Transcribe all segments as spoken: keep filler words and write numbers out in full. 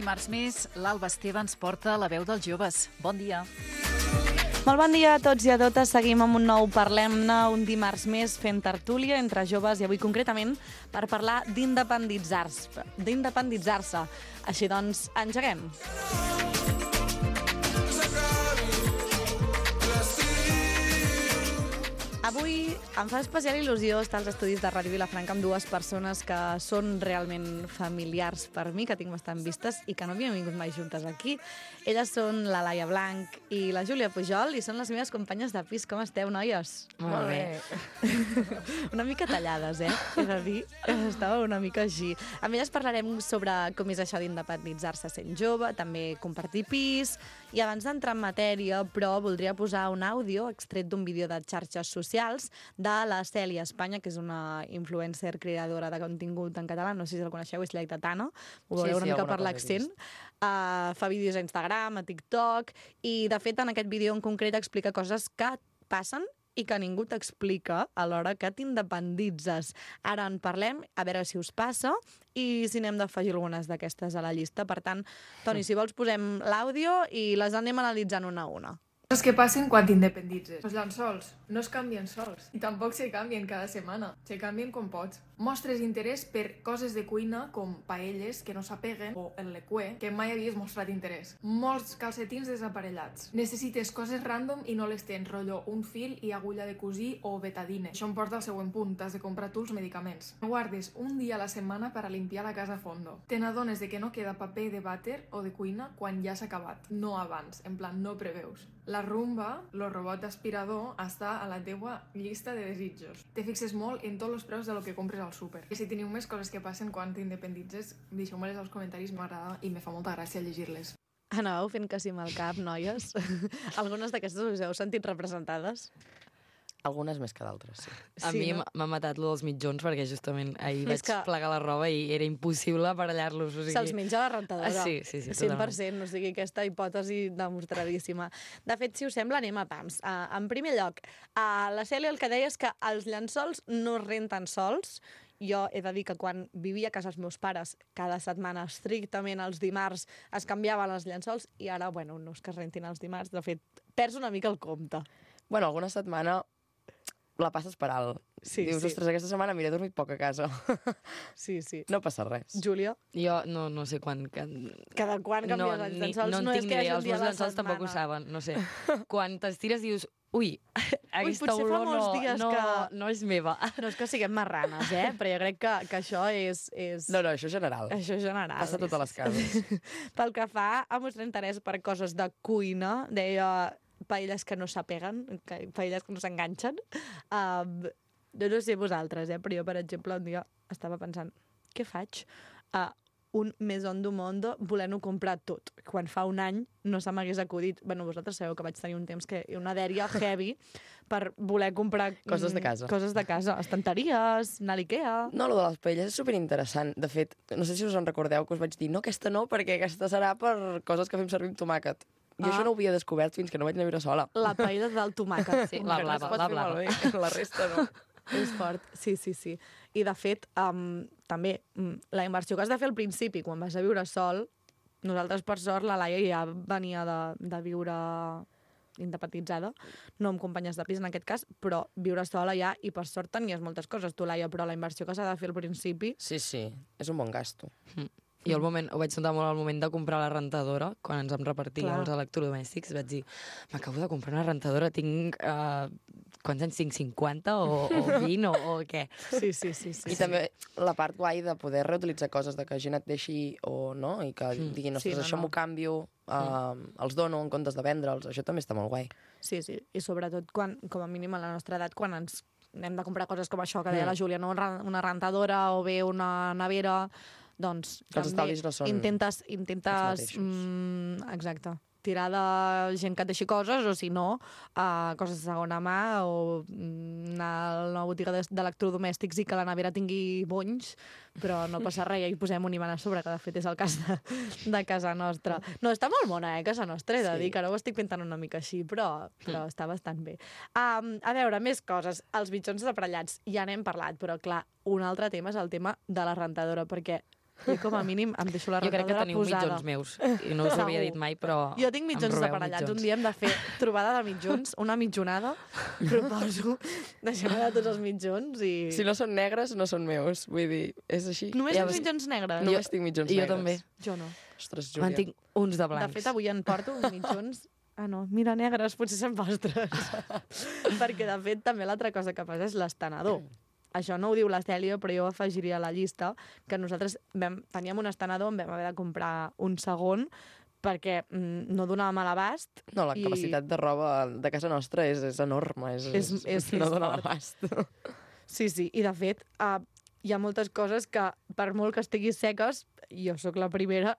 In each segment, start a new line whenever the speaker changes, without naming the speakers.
dimarts més, l'Alba Esteve ens porta la veu dels joves. Bon dia.
Molt bon dia a tots i a totes. Seguim amb un nou Parlem-ne, un dimarts més fent tertúlia entre joves i avui concretament per parlar d'independitzar-se. d'independitzar-se. Així doncs, engeguem. Avui em fa especial il·lusió estar als estudis de Ràdio Vilafranca amb dues persones que són realment familiars per mi, que tinc bastant vistes i que no havien vingut mai juntes aquí. Elles són la Laia Blanc i la Júlia Pujol i són les meves companyes de pis. Com esteu, noies?
Molt bé.
Una mica tallades, eh? He de dir, estava una mica així. Amb elles parlarem sobre com és això d'independitzar-se sent jove, també compartir pis. I abans d'entrar en matèria, però, voldria posar un àudio extret d'un vídeo de xarxes socials de la Cèlia Espanya, que és una influencer creadora de contingut en català, no sé si la coneixeu, és lleidatana, ho veureu
sí,
una
sí,
mica per l'accent. Uh, fa vídeos a Instagram, a TikTok, i de fet en aquest vídeo en concret explica coses que passen i que ningú t'explica a l'hora que t'independitzes. Ara en parlem, a veure si us passa i si n'hem d'afegir algunes d'aquestes a la llista. Per tant, Toni, si vols posem l'àudio i les anem analitzant una a una.
Coses que passen quan t'independitzes. Els llençols no es canvien sols i tampoc se canvien cada setmana. Se canvien com pots. Mostres interès per coses de cuina com paelles que no s'apeguen o el lecué que mai havies mostrat interès. Molts calcetins desaparellats. Necessites coses random i no les tens, rotllo un fil i agulla de cosir o betadine. Això em porta al següent punt, t'has de comprar tu els medicaments. Guardes un dia a la setmana per a limpiar la casa a fondo. Te n'adones de que no queda paper de vàter o de cuina quan ja s'ha acabat, no abans, en plan no preveus. La rumba, el robot aspirador, està a la teua llista de desitjos. Te fixes molt en tots els preus de lo que compres al súper. I si teniu més coses que passen quan t'independitzes, deixeu-me-les als comentaris, m'agrada i me fa molta gràcia llegir-les.
Anàveu fent que sí amb el cap, noies? Algunes d'aquestes us heu sentit representades?
Algunes més que d'altres, sí.
A
Sí,
mi
no?
m'ha matat lo dels mitjons perquè justament ahir
És
vaig
que-
plegar la roba i era impossible aparellar-los. O sigui...
Se'ls menja la rentadora.
Ah, sí, sí, sí,
cent per
totalment.
cent, o sigui, aquesta hipòtesi demostradíssima. De fet, si us sembla, anem a pams. Uh, en primer lloc, uh, la Cèlia el que deia és que els llençols no es renten sols. Jo he de dir que quan vivia a casa dels meus pares, cada setmana, estrictament els dimarts, es canviaven els llençols i ara, bueno, no és que es rentin els dimarts, de fet, perds una mica el compte.
Bueno, alguna setmana la passes per alt.
Sí,
Dius,
sí.
ostres, aquesta setmana m'he dormit poc a casa.
Sí, sí.
No passa res.
Júlia,
Jo no, no sé quan... quan...
cada quan canvies els
ni-
llençols?
no,
No,
en
és
tinc
que
ni
hi hagi
idea,
un
els
dia
meus
a la
llençols tampoc ho
setmana.
saben, no sé. Quan t'estires dius, ui, aquesta
potser fa
olor
molts
no,
dies
no,
que-
no és meva.
No és que siguem marranes, eh? Però jo crec que, que això és... és...
No, no, això és general.
Això és general.
Passa a totes les cases.
Pel que fa a mostrar interès per coses de cuina, deia paelles que no s'apeguen, que- paelles que no s'enganxen. Um, jo no sé vosaltres, eh? Però jo, per exemple, un dia estava pensant, què faig? Uh, un Maison du Monde volent-ho comprar tot. Quan fa un any no se m'hagués acudit. Bueno, vosaltres sabeu que vaig tenir un temps que una dèria heavy per voler comprar...
Coses de casa.
Mm, coses de casa. Estanteries, anar a l'Ikea...
No, lo de les paelles és superinteressant. De fet, no sé si us en recordeu que us vaig dir no, aquesta no, perquè aquesta serà per coses que fem servir amb tomàquet. Jo
Ah.
això no ho havia descobert fins que no vaig anar a viure sola.
La paella del tomàquet.
Sí,
Que
la
no
blava,
es pot
la
fer
blava.
malbé, la resta no.
És fort, sí, sí, sí. I, de fet, um, també, um, la inversió que has de fer al principi, quan vas a viure sol, nosaltres, per sort, la Laia ja venia de, de viure independitzada, no amb companyes de pis en aquest cas, però viure sola ja, i per sort tenies moltes coses, tu, Laia, però la inversió que s'ha de fer al principi...
Sí, sí, és un bon gasto.
Jo al moment, ho vaig notar molt al moment de comprar la rentadora, quan ens vam repartir
Clar.
els electrodomèstics, vaig dir, m'acabo de comprar una rentadora, tinc, uh, quants anys tinc, cinquanta o, o vint o, o què?
Sí, sí, sí. sí
I també la part guai de poder reutilitzar coses, de que gent et deixi o no, i que
Mm.
diguin,
Sí,
ostres,
no,
això
no.
m'ho canvio, uh, els dono en comptes de vendre'ls, això també està molt guai.
Sí, sí, i sobretot quan, com a mínim a la nostra edat, quan ens hem de comprar coses com això que deia
Mm.
la Júlia, no? Una una rentadora o bé una nevera, doncs
Que els
també
estalvis no són
intentes, intentes
els mateixos.
mm, exacte, tirar de gent que et deixi coses, o si no, uh, coses de segona mà, o mm, anar a una botiga de- d'electrodomèstics i que la nevera tingui bonys, però no passa res, ja hi posem un imant a sobre, que de fet és el cas de, de casa nostra. No, està molt bona, eh, casa nostra, he de
Sí.
dir, que ara ho estic pintant una mica així, però, però està bastant bé. Um, a veure, més coses. Els mitjons deparellats, ja n'hem parlat, però clar, un altre tema és el tema de la rentadora, perquè Jo com a mínim em deixo la
Jo crec que
rentadora
teniu
posada.
mitjons meus. I no us ho havia dit mai, però
Jo tinc mitjons
em robeu
aparellats.
mitjons.
Un dia hem de fer trobada de mitjons, una mitjonada. Proposo deixar de tots els mitjons i...
Si no són negres, no són meus. Vull dir, és així.
Només
Ja
tens
vas-
mitjons negres?
Només tinc mitjons
jo
negres.
també.
Jo no.
Ostres,
En
Júlia.
tinc uns de
De
blancs.
fet, avui en porto uns mitjons... Ah, no, mira, negres, potser són vostres. Perquè, de fet, també l'altra cosa que passa és l'estenedor. Això no ho diu la Cèlia, però jo afegiria a la llista que nosaltres vam, teníem un estenedor, en vam haver de comprar un segon perquè mm, no donàvem a l'abast.
No, la
i-
capacitat de roba de casa nostra és, és enorme. És,
És- és-
no
és
dona
fort.
l'abast.
Sí, sí, i de fet uh, hi ha moltes coses que, per molt que estiguis seques, jo sóc la primera,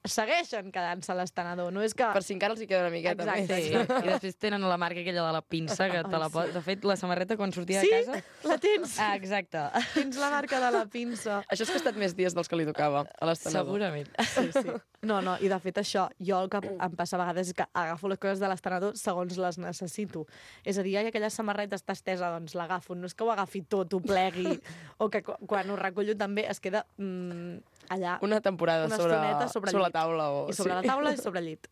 segueixen quedant-se a l'estenedor. No és que...
Per si encara els hi queda una miqueta
Exacte,
més.
Sí, i després tenen la marca aquella de la pinça, que te la
Ai,
pot... De fet, la samarreta, quan sortia
Sí,
de casa...
la tens.
Ah, exacte.
Tens la marca de la pinça.
Això és que ha estat més dies dels que li tocava a l'estenedor.
Segurament.
Sí, sí. No, no, i de fet això, jo el que em passa a vegades és que agafo les coses de l'estenedor segons les necessito. És a dir, ai, aquella samarreta està estesa, doncs l'agafo. No és que ho agafi tot, ho plegui, o que qu- quan ho recullo també es queda mm, allà
Una temporada
una
sobre,
estoneta sobre
sobre la
llit.
taula. O...
i sobre la taula i sobre el llit.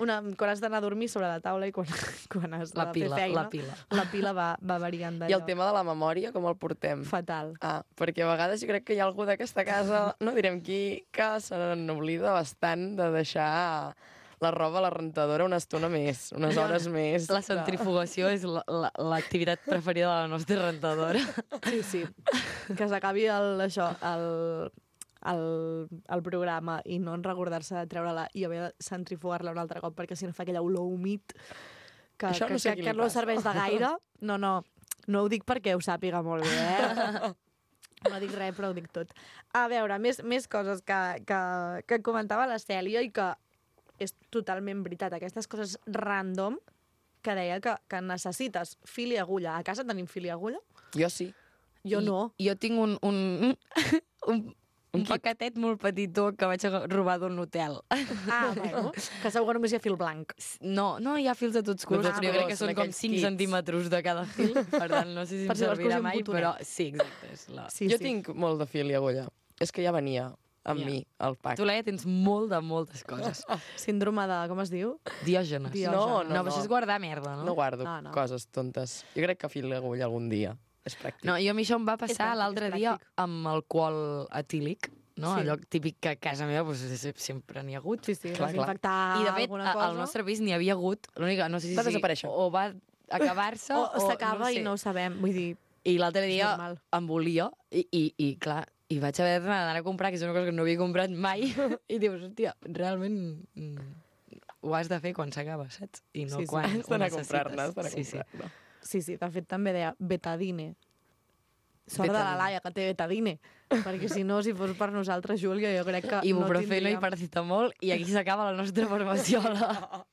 Una, quan has d'anar a dormir sobre la taula i quan, quan has de
La pila,
fer feina,
la pila.
la pila va, va variant
I
d'allò.
el tema de la memòria, com el portem?
Fatal.
Ah, perquè a vegades jo crec que hi ha algú d'aquesta casa, no direm qui, que se n'oblida bastant de deixar la roba a la rentadora una estona més, unes hores més.
La centrifugació és la- la- l'activitat preferida de la nostra rentadora.
Sí, sí. Que s'acabi el, això, el, el, el programa i no en recordar-se de treure-la i haver de centrifugar-la un altre cop perquè si no fa aquella olor humit que,
Això
que,
no sé a
que,
qui
que
li
no
passa.
serveix de gaire. No, no, no ho dic perquè ho sàpiga molt bé, eh? No dic res, però ho dic tot. A veure, més, més coses que, que, que comentava la Cèlia i que és totalment veritat. Aquestes coses random que deia que, que necessites fil i agulla. A casa tenim fil i agulla?
Jo sí.
Jo
I,
no.
Jo tinc un, un, un, un
kit.
paquetet molt petitó que vaig a robar d'un hotel.
Ah, bueno, que segur que només hi ha fil blanc.
No, no hi ha fils de tots colors,
De tots
però jo crec que
colors,
són
en
com
aquells
cinc
kits.
centímetres de cada fil, per tant, no sé si em
Per si vols
servirà
cosi un
mai,
botonet.
però sí, exacte. És la...
Sí,
jo
sí.
tinc molt de fil i agulla. És que ja venia amb
Ja.
mi, el pack.
Tu, Laia, tens molt de moltes coses.
Síndrome de... com es diu?
Diògenes.
Diògenes.
No,
No, però això és guardar merda, no?
No guardo
No, no.
coses tontes. Jo crec que fil i agulla algun dia és pràctic.
No, jo a mi això em va
És
passar
pràctic,
l'altre
és
dia
pràctic.
amb alcohol etílic, no?
Sí.
Allò típic que a casa meva doncs, sempre n'hi ha hagut.
Sí, sí,
Clar, clar.
desinfectar
I, de fet,
alguna
a-
cosa.
al nostre pis n'hi havia hagut. L'única, no sé si...
Va desaparèixer.
O va acabar-se
O,
o...
s'acaba
no sé.
i no ho sabem. Vull dir,
I l'altre
És
dia
normal.
em volia i, i, i clar, i vaig haver d'anar a comprar, que és una cosa que no havia comprat mai, i dius, hòstia, realment mm, ho has de fer quan s'acaba, saps? I no
Sí, sí.
quan
Has
ho
d'anar a
necessites.
comprar-ne, has d'anar a
Sí, sí.
comprar-ne.
sí, sí, de fet també deia betadine. Sort de la
Betadine.
Laia, que té betadine. Perquè si no, si fos per nosaltres, Júlia, jo crec que
Ibuprofeno
no
i
tindríem...
paracetamol, i aquí s'acaba la nostra farmaciola.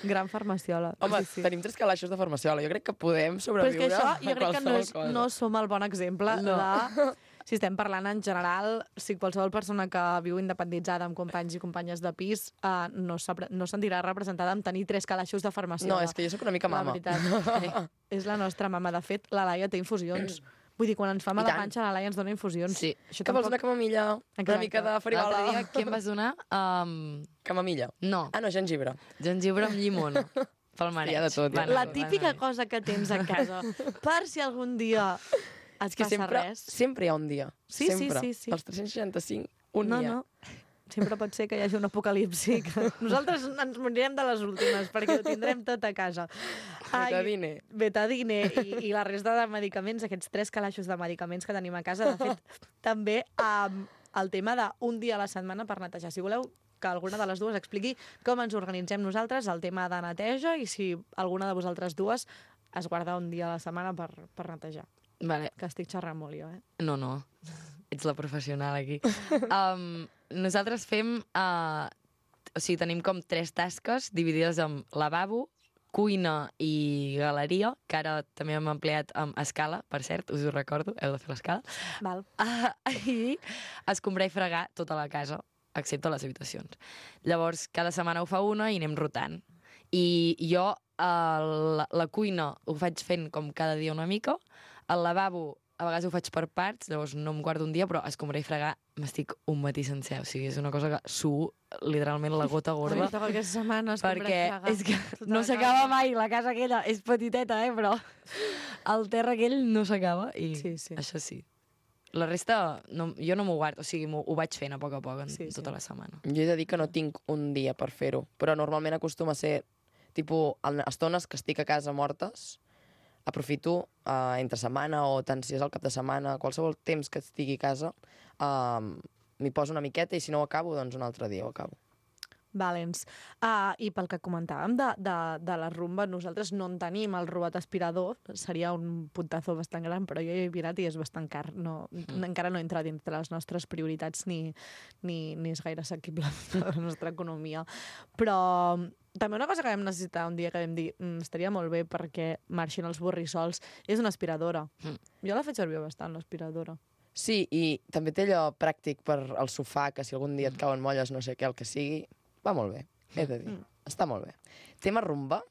Gran farmaciola.
Home,
sí, sí.
tenim tres calaixos de farmaciola. Jo crec que podem
Però és
sobreviure
que això
a
jo crec que no, és,
qualsevol cosa.
no som el bon exemple
No.
de... Si estem parlant en general, si qualsevol persona que viu independitzada amb companys i companyes de pis uh, no, s'apre- no sentirà representada amb tenir tres calaixos de farmaciola.
No, és que jo sóc una mica mama.
La veritat. És la nostra mama. De fet, la Laia té infusions. Vull dir, quan ens fa
I
mala
tant.
panxa, la Laia ens dona infusions.
Sí.
Això
Que vols una camamilla? Una
Exacte.
mica de
L'altre
farigola?
dia, què em vas donar? Um,
Camamilla.
no,
Ah, no, gengibre.
gengibre amb llimona. Pel mareig.
hi ha de tot, hi ha
Va
de
La
anar,
típica
va anar.
cosa que tens a casa, per si algun dia et
És que
passa
sempre,
res.
sempre hi ha un dia.
Sí, sí,
sempre.
sí, sí.
Els tres cents seixanta-cinc, un
no,
dia.
no. Sempre pot ser que hi hagi un apocalipsi. Que nosaltres ens morirem de les últimes, perquè ho tindrem tot a casa.
Betadine.
Betadine i, i la resta de medicaments, aquests tres calaixos de medicaments que tenim a casa. De fet, també um, el tema d'un dia a la setmana per netejar. Si voleu que alguna de les dues expliqui com ens organitzem nosaltres, el tema de neteja, i si alguna de vosaltres dues es guarda un dia a la setmana per, per netejar.
Vale.
Que estic xerrant molt jo, eh?
No, no. Ets la professional aquí. Um, nosaltres fem... Uh, o sigui, tenim com tres tasques dividides en lavabo, cuina i galeria, que ara també hem empleat amb escala, per cert, us ho recordo, heu de fer l'escala.
Val.
Uh, I escombrar i fregar tota la casa, excepte les habitacions. Llavors, cada setmana ho fa una i anem rotant. I jo uh, la, la cuina ho faig fent com cada dia una mica, el lavabo a vegades ho faig per parts, llavors no em guardo un dia, però escombrar i fregar m'estic un matí sencer. O sigui, és una cosa que suo literalment la gota gorda.
Toca aquesta setmana es
Perquè
compra
és que
tota
no
la
s'acaba
casa.
mai. La casa aquella és petiteta, eh? Però el terra aquell no s'acaba. I
Sí, sí.
això sí. La resta, no, jo no m'ho guardo. O sigui, m'ho- ho vaig fent a poc a poc en
Sí, sí.
tota la setmana.
Jo he de dir que no tinc un dia per fer-ho, però normalment acostuma a ser, tipus, en estones que estic a casa mortes, aprofito uh, entre setmana o tant si és el cap de setmana, qualsevol temps que estigui a casa, uh, m'hi poso una miqueta i si no ho acabo, doncs un altre dia ho acabo.
Valents. Uh, I pel que comentàvem de, de, de la rumba, nosaltres no en tenim el robot aspirador, seria un puntazo bastant gran, però jo he mirat i és bastant car. No, mm. Encara no entra dintre les nostres prioritats ni, ni, ni és gaire assequible a la nostra economia. Però també una cosa que vam necessitar un dia que vam dir mm, estaria molt bé perquè marxin els borrissols és una aspiradora.
Mm.
Jo la faig servir bastant, l'aspiradora.
Sí, i també té allò pràctic per al sofà, que si algun dia et cauen molles, no sé què, el que sigui, va molt bé, he de dir.
Mm.
Està molt bé. Tema rumba,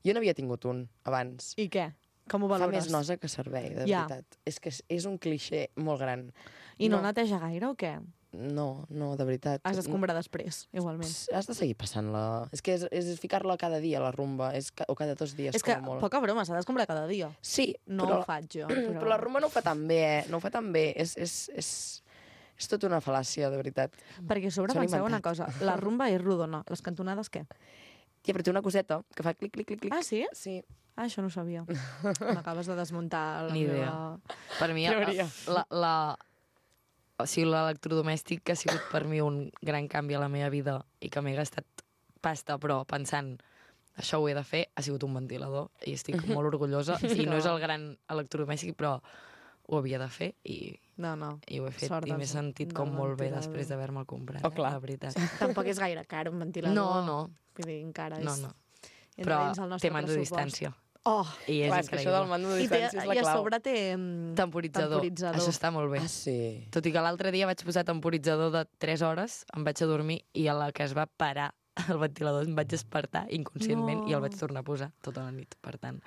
jo n'havia tingut un abans.
I què? Com ho
Fa
valores?
més nosa que servei, de
Ja.
veritat. És que és, és un clixé molt gran.
I no,
No.
neteja gaire o què?
No, no, de veritat.
Has d'escombrar després, igualment.
Ps, Has de seguir passant-la. És que és, és ficar-la cada dia, la rumba, és ca, o cada dos dies,
És que,
com a molt.
poca broma, s'ha d'escombrar cada dia.
Sí,
No
però,
ho faig jo.
però... però la rumba no ho fa tan bé, eh? No ho fa tan bé. És, és, és, és tota una fal·làcia, de veritat.
Perquè a sobre
S'ho han
penseu una
inventat.
cosa, la rumba és rodona, les cantonades què?
Ja, però té una coseta que fa clic, clic, clic, clic.
Ah, sí?
Sí.
Ah, això no ho sabia. M'acabes de desmuntar la
Ni idea.
meva...
Per mi,
Teoria.
la, la, o sigui, l'electrodomèstic que ha sigut per mi un gran canvi a la meva vida i que m'he gastat pasta, però pensant això ho he de fer, ha sigut un ventilador i estic molt orgullosa. I no és el gran electrodomèstic, però ho havia de fer i,
No, no.
i ho he fet.
Sort
I m'he
dels-
sentit
del
com molt bé
ventilador.
després d'haver-me'l comprat,
Oh, clar.
la veritat.
Tampoc és gaire car un ventilador.
No, no,
Vull dir, encara és...
no, no.
entra
Però
dins el nostre
té mando de
pressupost.
distància.
Oh!
I és
Clar, és que això del
increïble.
mando de
I, té,
distància és la
I a
clau.
sobre té... mm,
Temporitzador.
temporitzador.
Això està molt bé.
Ah, sí.
Tot i que l'altre dia vaig posar temporitzador de tres hores, em vaig a dormir i a la que es va parar el ventilador em vaig despertar inconscientment
No.
i el vaig tornar a posar tota la nit. Per tant,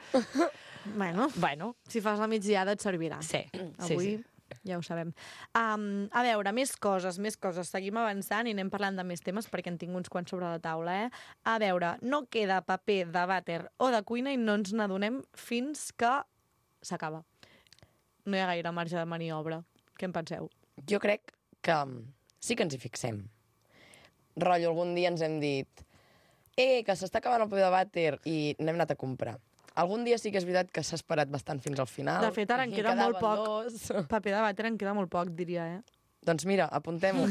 Bueno,
bueno,
si fas la migdiada et servirà.
sí. sí,
Avui
sí.
ja ho sabem. Um, a veure, més coses, més coses. Seguim avançant i anem parlant de més temes perquè en tinc uns quants sobre la taula, eh? A veure, no queda paper de vàter o de cuina i no ens n'adonem fins que s'acaba. No hi ha gaire marge de maniobra. Què en penseu?
Jo crec que mm, sí que ens hi fixem. Rotllo, algun dia ens hem dit eh, que s'està acabant el paper de vàter i n'hem anat a comprar. Algun dia sí que és veritat que s'ha esperat bastant fins al final.
De fet, ara en
i
queda molt
quedaven
poc.
dos.
Paper de vàter en queda molt poc, diria, eh?
Doncs mira, apuntem-ho.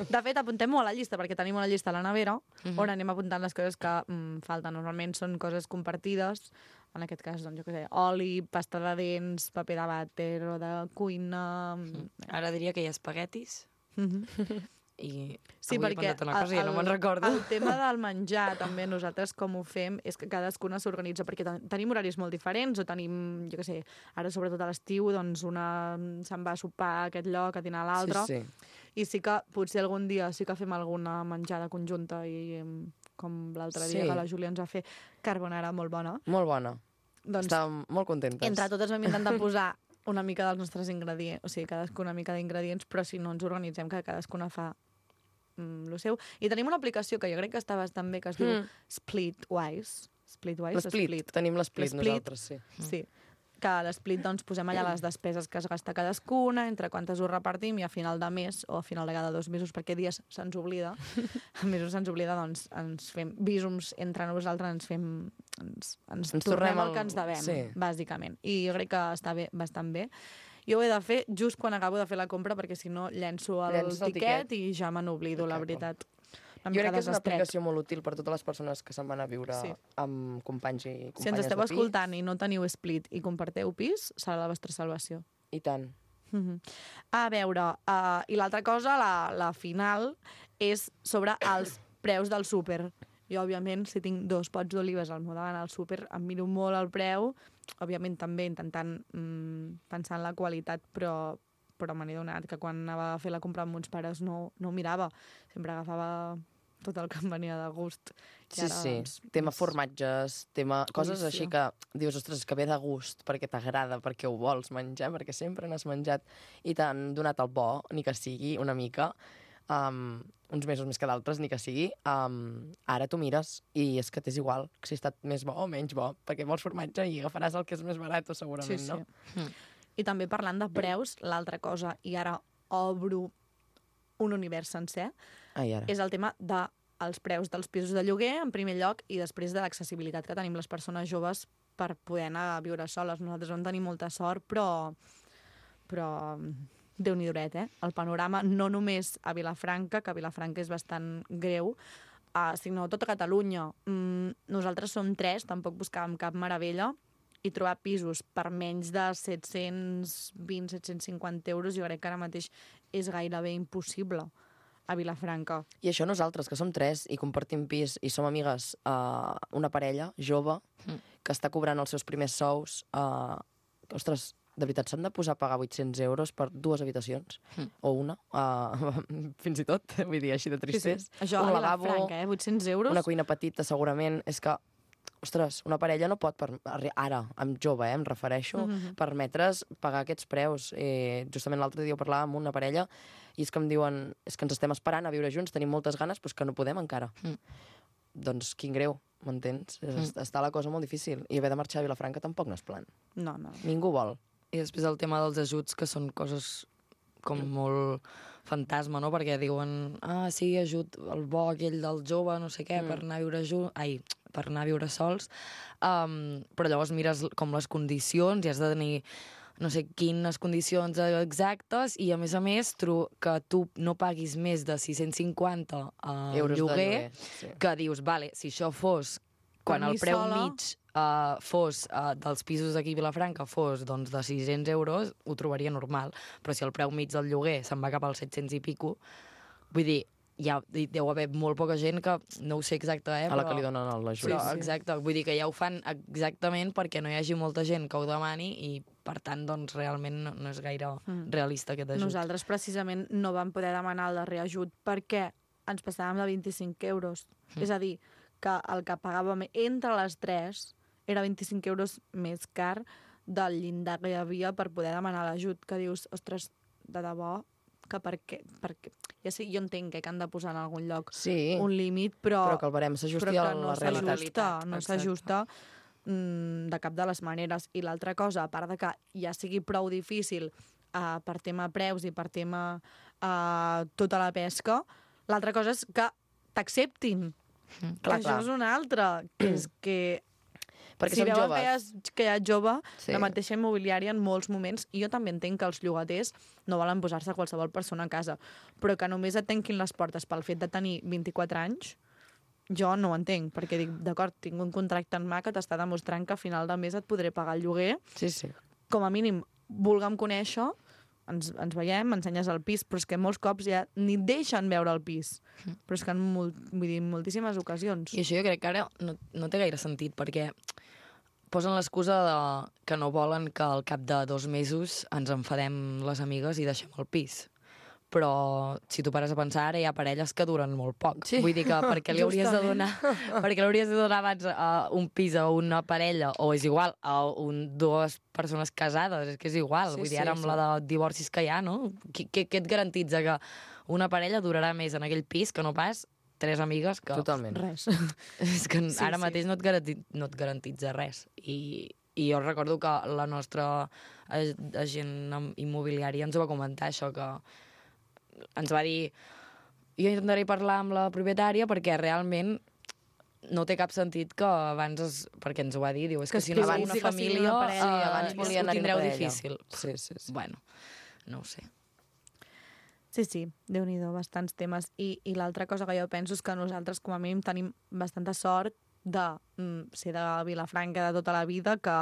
De fet, apuntem-ho a la llista, perquè tenim una llista a la nevera on anem apuntant les coses que mm, falten. Normalment són coses compartides, en aquest cas, doncs, jo què sé, oli, pasta de dents, paper de vàter o de cuina...
Ara diria que hi ha espaguetis
Mhm.
i
Sí,
avui he
perquè
pensat una cosa i ja no me'n recordo.
el tema del menjar, també nosaltres com ho fem, és que cadascuna s'organitza, perquè ten tenim horaris molt diferents, o tenim, jo què sé, ara sobretot a l'estiu, doncs una se'n va a sopar a aquest lloc, a dinar a l'altre,
Sí, sí.
i sí que potser algun dia sí que fem alguna menjada conjunta, i em, com l'altre dia
Sí.
que la Júlia ens va fer carbonara molt bona.
Molt bona.
Doncs
Estàvem molt contentes.
entre totes vam intentar posar una mica dels nostres ingredients, o sigui, cadascuna una mica d'ingredients, però si no ens organitzem, que cadascuna fa mm, lo seu. I tenim una aplicació que jo crec que està bastant bé, que es diu
Mm.
Splitwise. Splitwise? o
L'Split. Tenim l'Split
L'Split.
nosaltres, sí.
Sí. Que a l'Split doncs, posem allà les despeses que es gasta cadascuna, entre quantes ho repartim, i a final de mes, o a final de cada dos mesos, perquè dies se'ns oblida, a mesos se'ns oblida, doncs ens fem bísums entre nosaltres, ens fem... Ens, ens,
Ens
tornem
tornem
el
el-
que ens devem,
sí.
bàsicament. I jo crec que està bé, bastant bé. Jo ho he de fer just quan acabo de fer la compra, perquè si no llenço el,
Llences el
tiquet,
tiquet.
i ja me n'oblido, la
Exacte.
veritat. Una
Jo
mica
crec que és una
desestret.
aplicació molt útil per totes les persones que se'n van a viure
Sí.
amb companys i companyes
Si ens esteu
de pis.
escoltant i no teniu Split i comparteu pis, serà la vostra salvació.
I tant.
Mhm. A veure, uh, i l'altra cosa, la, la final, és sobre els preus del súper. Jo, òbviament, si tinc dos pots d'olives al meu davant al súper, em miro molt el preu, òbviament també intentant mm, pensar en la qualitat, però, però me n'he donat que quan anava a fer la compra amb uns pares no, no ho mirava. Sempre agafava tot el que em venia de gust. I
Sí,
ara,
sí.
doncs,
Tema
és-
formatges, tema... Coses
Codícia.
així que dius, ostres, que ve de gust, perquè t'agrada, perquè ho vols menjar, perquè sempre n'has menjat i t'han donat el bo, ni que sigui una mica, um, uns mesos més que d'altres, ni que sigui, um, ara tu mires i és que t'és igual si ha estat més bo o menys bo, perquè vols formatge i agafaràs el que és més barat, segurament,
Sí, sí.
no?
Mm.
I també parlant de preus, l'altra cosa, i ara obro un univers sencer,
Ai, ara.
és el tema dels preus dels pisos de lloguer, en primer lloc, i després de l'accessibilitat que tenim les persones joves per poder anar a viure soles. Nosaltres vam tenir molta sort, però, però déu-n'hi-doret, eh? El panorama, no només a Vilafranca, que a Vilafranca és bastant greu, uh, sinó a tota Catalunya. Mm, nosaltres som tres, tampoc buscàvem cap meravella, i trobar pisos per menys de set-cents vint a set-cents cinquanta euros, jo crec que ara mateix és gairebé impossible a Vilafranca.
I això nosaltres, que som tres i compartim pis i som amigues, uh, una parella jove
Mm.
que està cobrant els seus primers sous, uh, ostres, de veritat, s'han de posar a pagar vuit-cents euros per dues habitacions,
Mm.
o una, uh, fins i tot, vull dir, així de tristès.
Això
un
a
lavabo,
Vilafranca, eh? vuit-cents euros.
una cuina petita, segurament. És que, ostres, una parella no pot, per, ara, amb jove, eh, em refereixo,
Mhm.
permetre's pagar aquests preus. Eh, justament l'altre dia ho parlàvem amb una parella i és que em diuen, és que ens estem esperant a viure junts, tenim moltes ganes, però és que no podem encara.
Mm.
Doncs quin greu, m'entens?
Mm.
Està la cosa molt difícil. I haver de marxar a Vilafranca tampoc no és plan.
No, no.
Ningú vol.
I després el tema dels ajuts, que són coses com molt fantasma, no? Perquè diuen, ah, sí, ajut el bo aquell del jove, no sé què,
Mm.
per anar a viure junts... Ai, per anar a viure sols. Um, però llavors mires com les condicions i has de tenir no sé quines condicions exactes i, a més a més, tru que tu no paguis més de sis-cents cinquanta uh,
Euros de
lloguer,
lloguer. Sí.
que dius, vale, si això fos quan
Per mi
el preu
sola-
mig uh, fos uh, dels pisos d'aquí a Vilafranca fos doncs, de sis-cents euros, ho trobaria normal. Però si el preu mig del lloguer se'n va cap als set-cents i pico, vull dir, hi ha, hi deu haver molt poca gent que, no ho sé exacte, eh,
A la
però,
que li donen l'ajut.
però exacte, vull dir que ja ho fan exactament perquè no hi hagi molta gent que ho demani i, per tant, doncs, realment no, no és gaire
Mm.
realista aquest ajut.
Nosaltres precisament no vam poder demanar el darrer ajut perquè ens passàvem de vint-i-cinc euros.
Mm.
És a dir, que el que pagàvem entre les tres era vint-i-cinc euros més car del llindar que hi havia per poder demanar l'ajut, que dius, ostres, de debò, que per què? Perquè, ja sé, jo entenc eh, que han de posar en algun lloc
Sí,
un límit, però,
però que el barem s'ajusti
però
a
que no
la realitat.
s'ajusta, no
Exacte.
s'ajusta mm, de cap de les maneres. I l'altra cosa, a part de que ja sigui prou difícil uh, per tema preus i per tema uh, tota la pesca, l'altra cosa és que t'acceptin.
Mm.
Que
Clar,
això
clar.
és una altra, que és que
Perquè
si
som
veuen
joves.
que hi, ha, que hi ha jove,
Sí.
sí. La mateixa immobiliària en molts moments, i jo també entenc que els llogaters no volen posar-se qualsevol persona a casa, però que només et tanquin les portes pel fet de tenir vint-i-quatre anys, jo no ho entenc, perquè dic, d'acord, tinc un contracte en mà que t'està demostrant que a final de mes et podré pagar el lloguer,
Sí, sí.
com a mínim, vulguem conèixer, ens, ens veiem, m'ensenyes el pis, però és que molts cops ja ni et deixen veure el pis. Però és que en molt, vull dir, en moltíssimes ocasions.
I això jo crec que ara no, no té gaire sentit, perquè posen l'excusa de que no volen que al cap de dos mesos ens enfadem les amigues i deixem el pis. Però si tu pares a pensar, ara hi ha parelles que duren molt poc.
Sí.
Vull dir que perquè li hauries de
Justament.
donar, perquè li hauries de donar abans uh, un pis a una parella, o és igual, a un, dues persones casades, és que és igual.
Sí,
Vull dir,
sí,
ara amb
sí.
la de divorcis que hi ha, no? Què, què, què et garantitza que una parella durarà més en aquell pis que no pas tres amigues que...
Totalment.
Res.
És que
Sí,
ara
sí.
mateix no et, garanti, no et garantitza res. I, I jo recordo que la nostra ag- agent immobiliària ens ho va comentar, això, que ens va dir jo intentaré parlar amb la propietària perquè realment no té cap sentit que abans... Es, perquè ens ho va dir, diu, és
Que
que, si no
es
sou
pensi
una
que sigui
família,
una parella.
eh,
Sí, abans
ho
volien anar-hi
tindreu
una parella.
difícil.
Sí, sí, sí.
Bueno, no ho sé.
Sí, sí, Déu-n'hi-do, bastants temes. I, i l'altra cosa que jo penso és que nosaltres, com a mínim, tenim bastanta sort de mm, ser de Vilafranca de tota la vida, que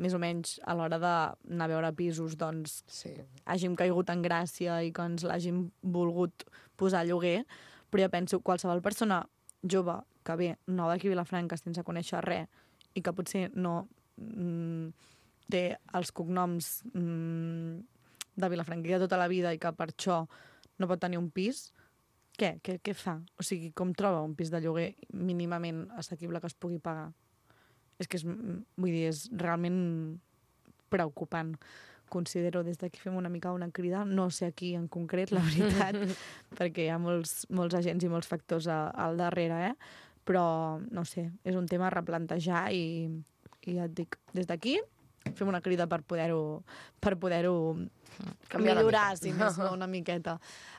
més o menys a l'hora d'anar a veure pisos doncs
Sí.
hàgim caigut en gràcia i que ens l'hàgim volgut posar a lloguer, però jo penso qualsevol persona jove que ve nova aquí a Vilafranca sense conèixer res i que potser no mm, té els cognoms mm, de Vilafranca de tota la vida i que per això no pot tenir un pis, què? Què, què fa? O sigui, com troba un pis de lloguer mínimament assequible que es pugui pagar? És que és, vull dir, és realment preocupant. Considero, des d'aquí fem una mica una crida, no sé aquí en concret, la veritat, perquè hi ha molts, molts agents i molts factors a, al darrere, eh? Però, no sé, és un tema a replantejar i, i ja et dic, des d'aquí fem una crida per poder-ho per poder-ho millorar, si més no, una miqueta.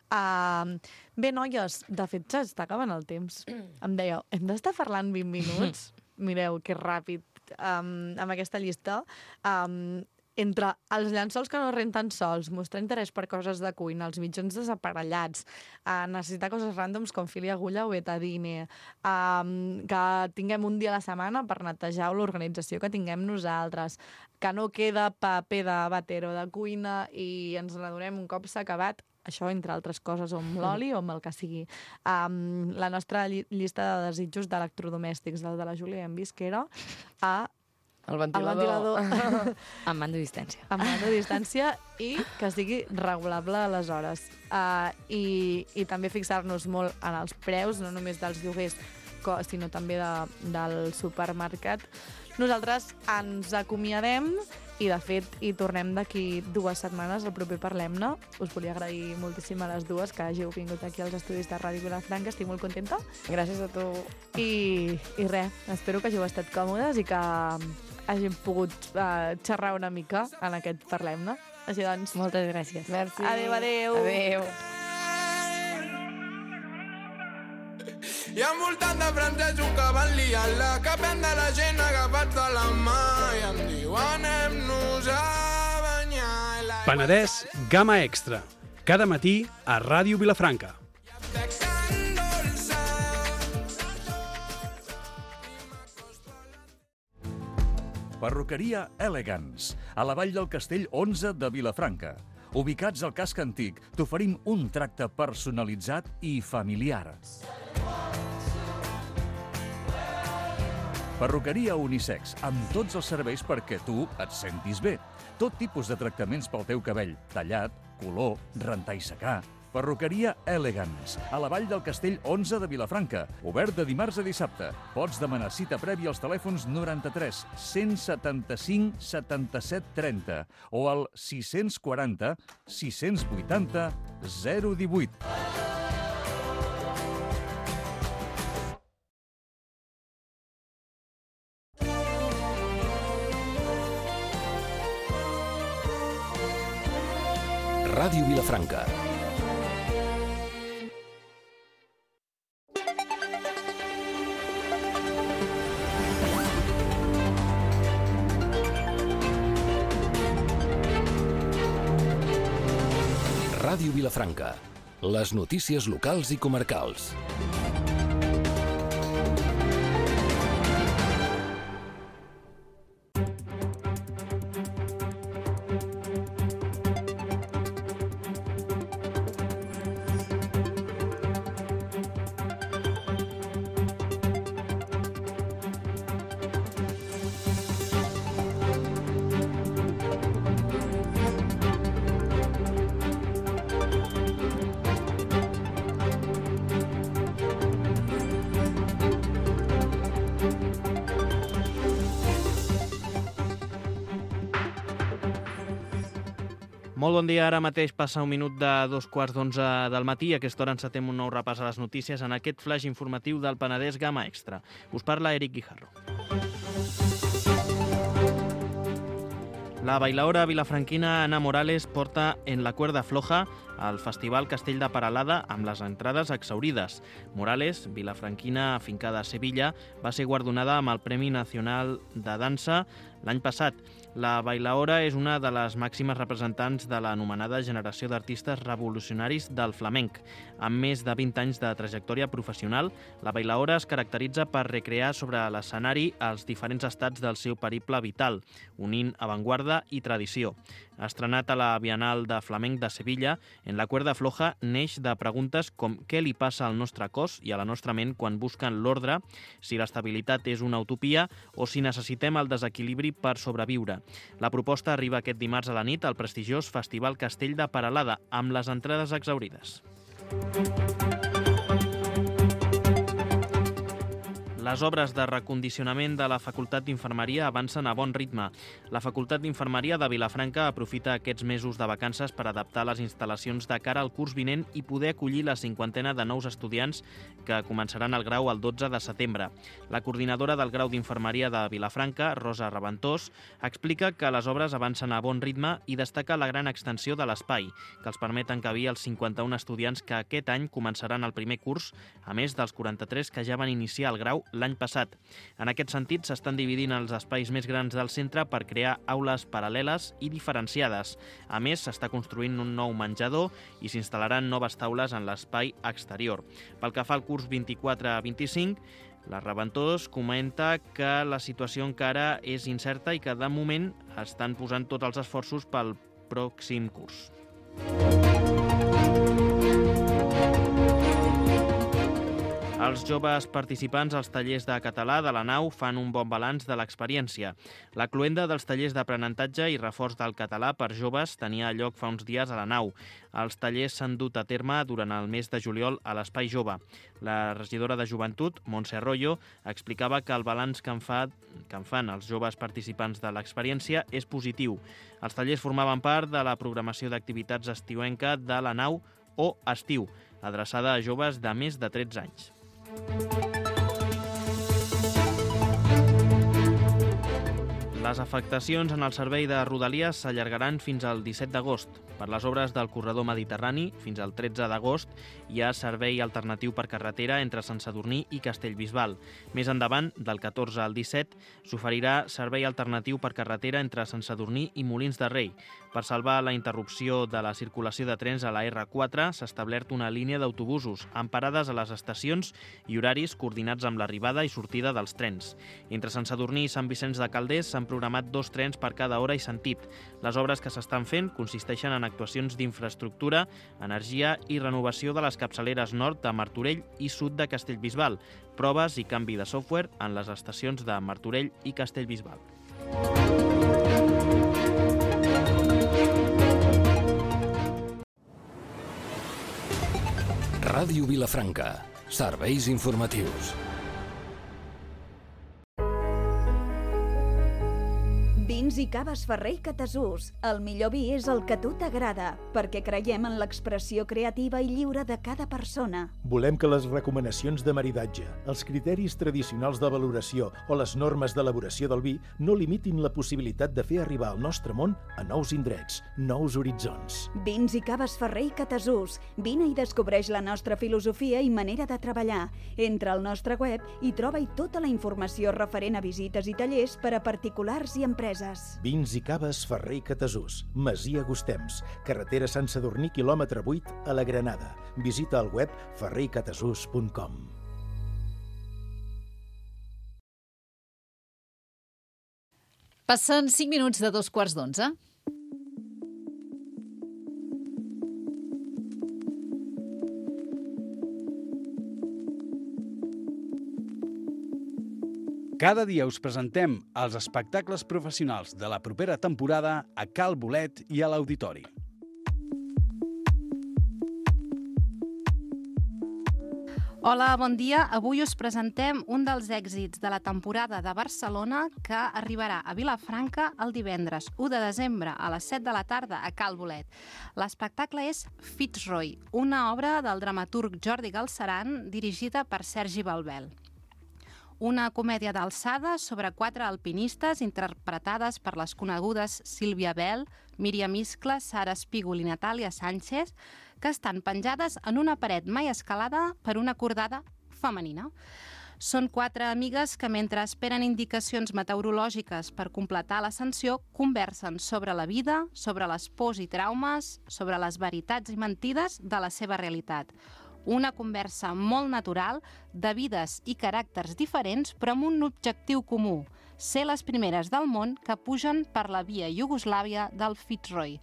Uh, bé, noies, de fet, s'està acabant el temps. Em dèieu, hem d'estar parlant vint minuts? Mireu, que ràpid. Um, amb aquesta llista, um, entre els llençols que no renten sols, mostrar interès per coses de cuina, els mitjons desaparellats, uh, necessitar coses ràndoms com fil i agulla o betadine, um, que tinguem un dia a la setmana per netejar l'organització que tinguem nosaltres, que no queda paper de batero de cuina i ens n'adonem un cop s'ha acabat, això entre altres coses, o amb l'oli o amb el que sigui. Um, la nostra lli llista de desitjos d'electrodomèstics, del de la Júlia, hem vist que era a
El ventilador.
El ventilador.
Amb mando a distància.
Amb mando a distància i que sigui regulable aleshores. Uh, i, I també fixar-nos molt en els preus, no només dels lloguers, sinó també de, del supermercat. Nosaltres ens acomiadem i, de fet, hi tornem d'aquí dues setmanes, el proper Parlem-ne. Us volia agrair moltíssim a les dues que hàgiu vingut aquí als estudis de Ràdio Vilafranca. Estic molt contenta.
Gràcies a tu.
I, i res, espero que hàgiu estat còmodes i que hàgim pogut uh, xerrar una mica en aquest Parlem-ne. Així doncs...
Moltes gràcies.
Merci.
Adéu, adéu.
Adéu.
I envoltant de francesos que van liar-la, que prendre la gent agafats de la mà i em diu anem-nos a banyar.
Penedès Gamma Extra. Cada matí a Ràdio Vilafranca.
Perruqueria Elegance, a la Vall del Castell onze de Vilafranca. Ubicats al casc antic, t'oferim un tracte personalitzat i familiar. Perruqueria unisex, amb tots els serveis perquè tu et sentis bé. Tot tipus de tractaments pel teu cabell, tallat, color, rentar i secar. Perruqueria Elegance, a la Vall del Castell onze de Vilafranca. Obert de dimarts a dissabte. Pots demanar cita prèvia als telèfons noranta-tres cent setanta-cinc setanta-set trenta o al sis quaranta sis vuitanta zero divuit.
Ràdio Vilafranca. Ràdio Vilafranca. Les notícies locals i comarcals.
Molt bon dia, ara mateix passa un minut de dos quarts d'onze del matí. A aquesta hora encetem un nou repàs a les notícies en aquest flash informatiu del Penedès Gamma Extra. Us parla Eric Guijarro. La bailaora vilafranquina Ana Morales porta en la cuerda floja al Festival Castell de Peralada amb les entrades exhaurides. Morales, vilafranquina afincada a Sevilla, va ser guardonada amb el Premi Nacional de Dansa l'any passat. La bailaora és una de les màximes representants de l'anomenada generació d'artistes revolucionaris del flamenc. Amb més de vint anys de trajectòria professional, la bailaora es caracteritza per recrear sobre l'escenari els diferents estats del seu periple vital, unint avantguarda i tradició. Estrenat a la Bienal de Flamenc de Sevilla, En la cuerda floja neix de preguntes com què li passa al nostre cos i a la nostra ment quan busquen l'ordre, si l'estabilitat és una utopia o si necessitem el desequilibri per sobreviure. La proposta arriba aquest dimarts a la nit al prestigiós Festival Castell de Peralada, amb les entrades exhaurides. Les obres de recondicionament de la Facultat d'Infermeria avancen a bon ritme. La Facultat d'Infermeria de Vilafranca aprofita aquests mesos de vacances per adaptar les instal·lacions de cara al curs vinent i poder acollir la cinquantena de nous estudiants que començaran el grau el dotze de setembre. La coordinadora del grau d'Infermeria de Vilafranca, Rosa Reventós, explica que les obres avancen a bon ritme i destaca la gran extensió de l'espai, que els permet encabir els cinquanta-un estudiants que aquest any començaran el primer curs, a més dels quaranta-tres que ja van iniciar el grau l'any passat. En aquest sentit, s'estan dividint els espais més grans del centre per crear aules paral·leles i diferenciades. A més, s'està construint un nou menjador i s'instal·laran noves taules en l'espai exterior. Pel que fa al curs vint-i-quatre vint-i-cinc, la Reventós comenta que la situació encara és incerta i que, de moment, estan posant tots els esforços pel pròxim curs. Els joves participants als tallers de català de la nau fan un bon balanç de l'experiència. La cloenda dels tallers d'aprenentatge i reforç del català per joves tenia lloc fa uns dies a la nau. Els tallers s'han dut a terme durant el mes de juliol a l'Espai Jove. La regidora de Joventut, Montse Arroyo, explicava que el balanç que en, fa, que en fan els joves participants de l'experiència és positiu. Els tallers formaven part de la programació d'activitats estiuenca de la nau o estiu, adreçada a joves de més de tretze anys. Les afectacions en el servei de Rodalies s'allargaran fins al disset d'agost. Per les obres del corredor mediterrani, fins al tretze d'agost, hi ha servei alternatiu per carretera entre Sant Sadurní i Castellbisbal. Més endavant, del catorze al disset, s'oferirà servei alternatiu per carretera entre Sant Sadurní i Molins de Rei. Per salvar la interrupció de la circulació de trens a la erre quatre, s'ha establert una línia d'autobusos amb parades a les estacions i horaris coordinats amb l'arribada i sortida dels trens. Entre Sant Sadurní i Sant Vicenç de Calders s'han programat dos trens per cada hora i sentit. Les obres que s'estan fent consisteixen en actuacions d'infraestructura, energia i renovació de les capçaleres nord de Martorell i sud de Castellbisbal, proves i canvi de software en les estacions de Martorell i Castellbisbal.
Ràdio Vilafranca. Serveis informatius.
Vins i caves Ferrer i Catasús. El millor vi és el que a tu t'agrada, perquè creiem en l'expressió creativa i lliure de cada persona.
Volem que les recomanacions de maridatge, els criteris tradicionals de valoració o les normes d'elaboració del vi no limitin la possibilitat de fer arribar el nostre món a nous indrets, nous horitzons.
Vins i caves Ferrer i Catasús. Vine i descobreix la nostra filosofia i manera de treballar. Entra al nostre web i troba-hi tota la informació referent a visites i tallers per a particulars i empreses.
Vins i caves Ferrer i Catasús, Masia Gustems, carretera Sant Sadurní, quilòmetre vuit, a la Granada. Visita el web ferrer i catasús punt com.
Passen cinc minuts de dos quarts d'onze.
Cada dia us presentem els espectacles professionals de la propera temporada a Cal Bolet i a l'Auditori.
Hola, bon dia. Avui us presentem un dels èxits de la temporada de Barcelona que arribarà a Vilafranca el divendres u de desembre a les set de la tarda a Cal Bolet. L'espectacle és Fitzroy, una obra del dramaturg Jordi Galceran dirigida per Sergi Balbel. Una comèdia d'alçada sobre quatre alpinistes interpretades per les conegudes Sílvia Bell, Míriam Iscla, Sara Espígol i Natàlia Sánchez, que estan penjades en una paret mai escalada per una cordada femenina. Són quatre amigues que, mentre esperen indicacions meteorològiques per completar l'ascensió, conversen sobre la vida, sobre les pors i traumes, sobre les veritats i mentides de la seva realitat. Una conversa molt natural, de vides i caràcters diferents, però amb un objectiu comú, ser les primeres del món que pugen per la via Iugoslàvia del Fitzroy.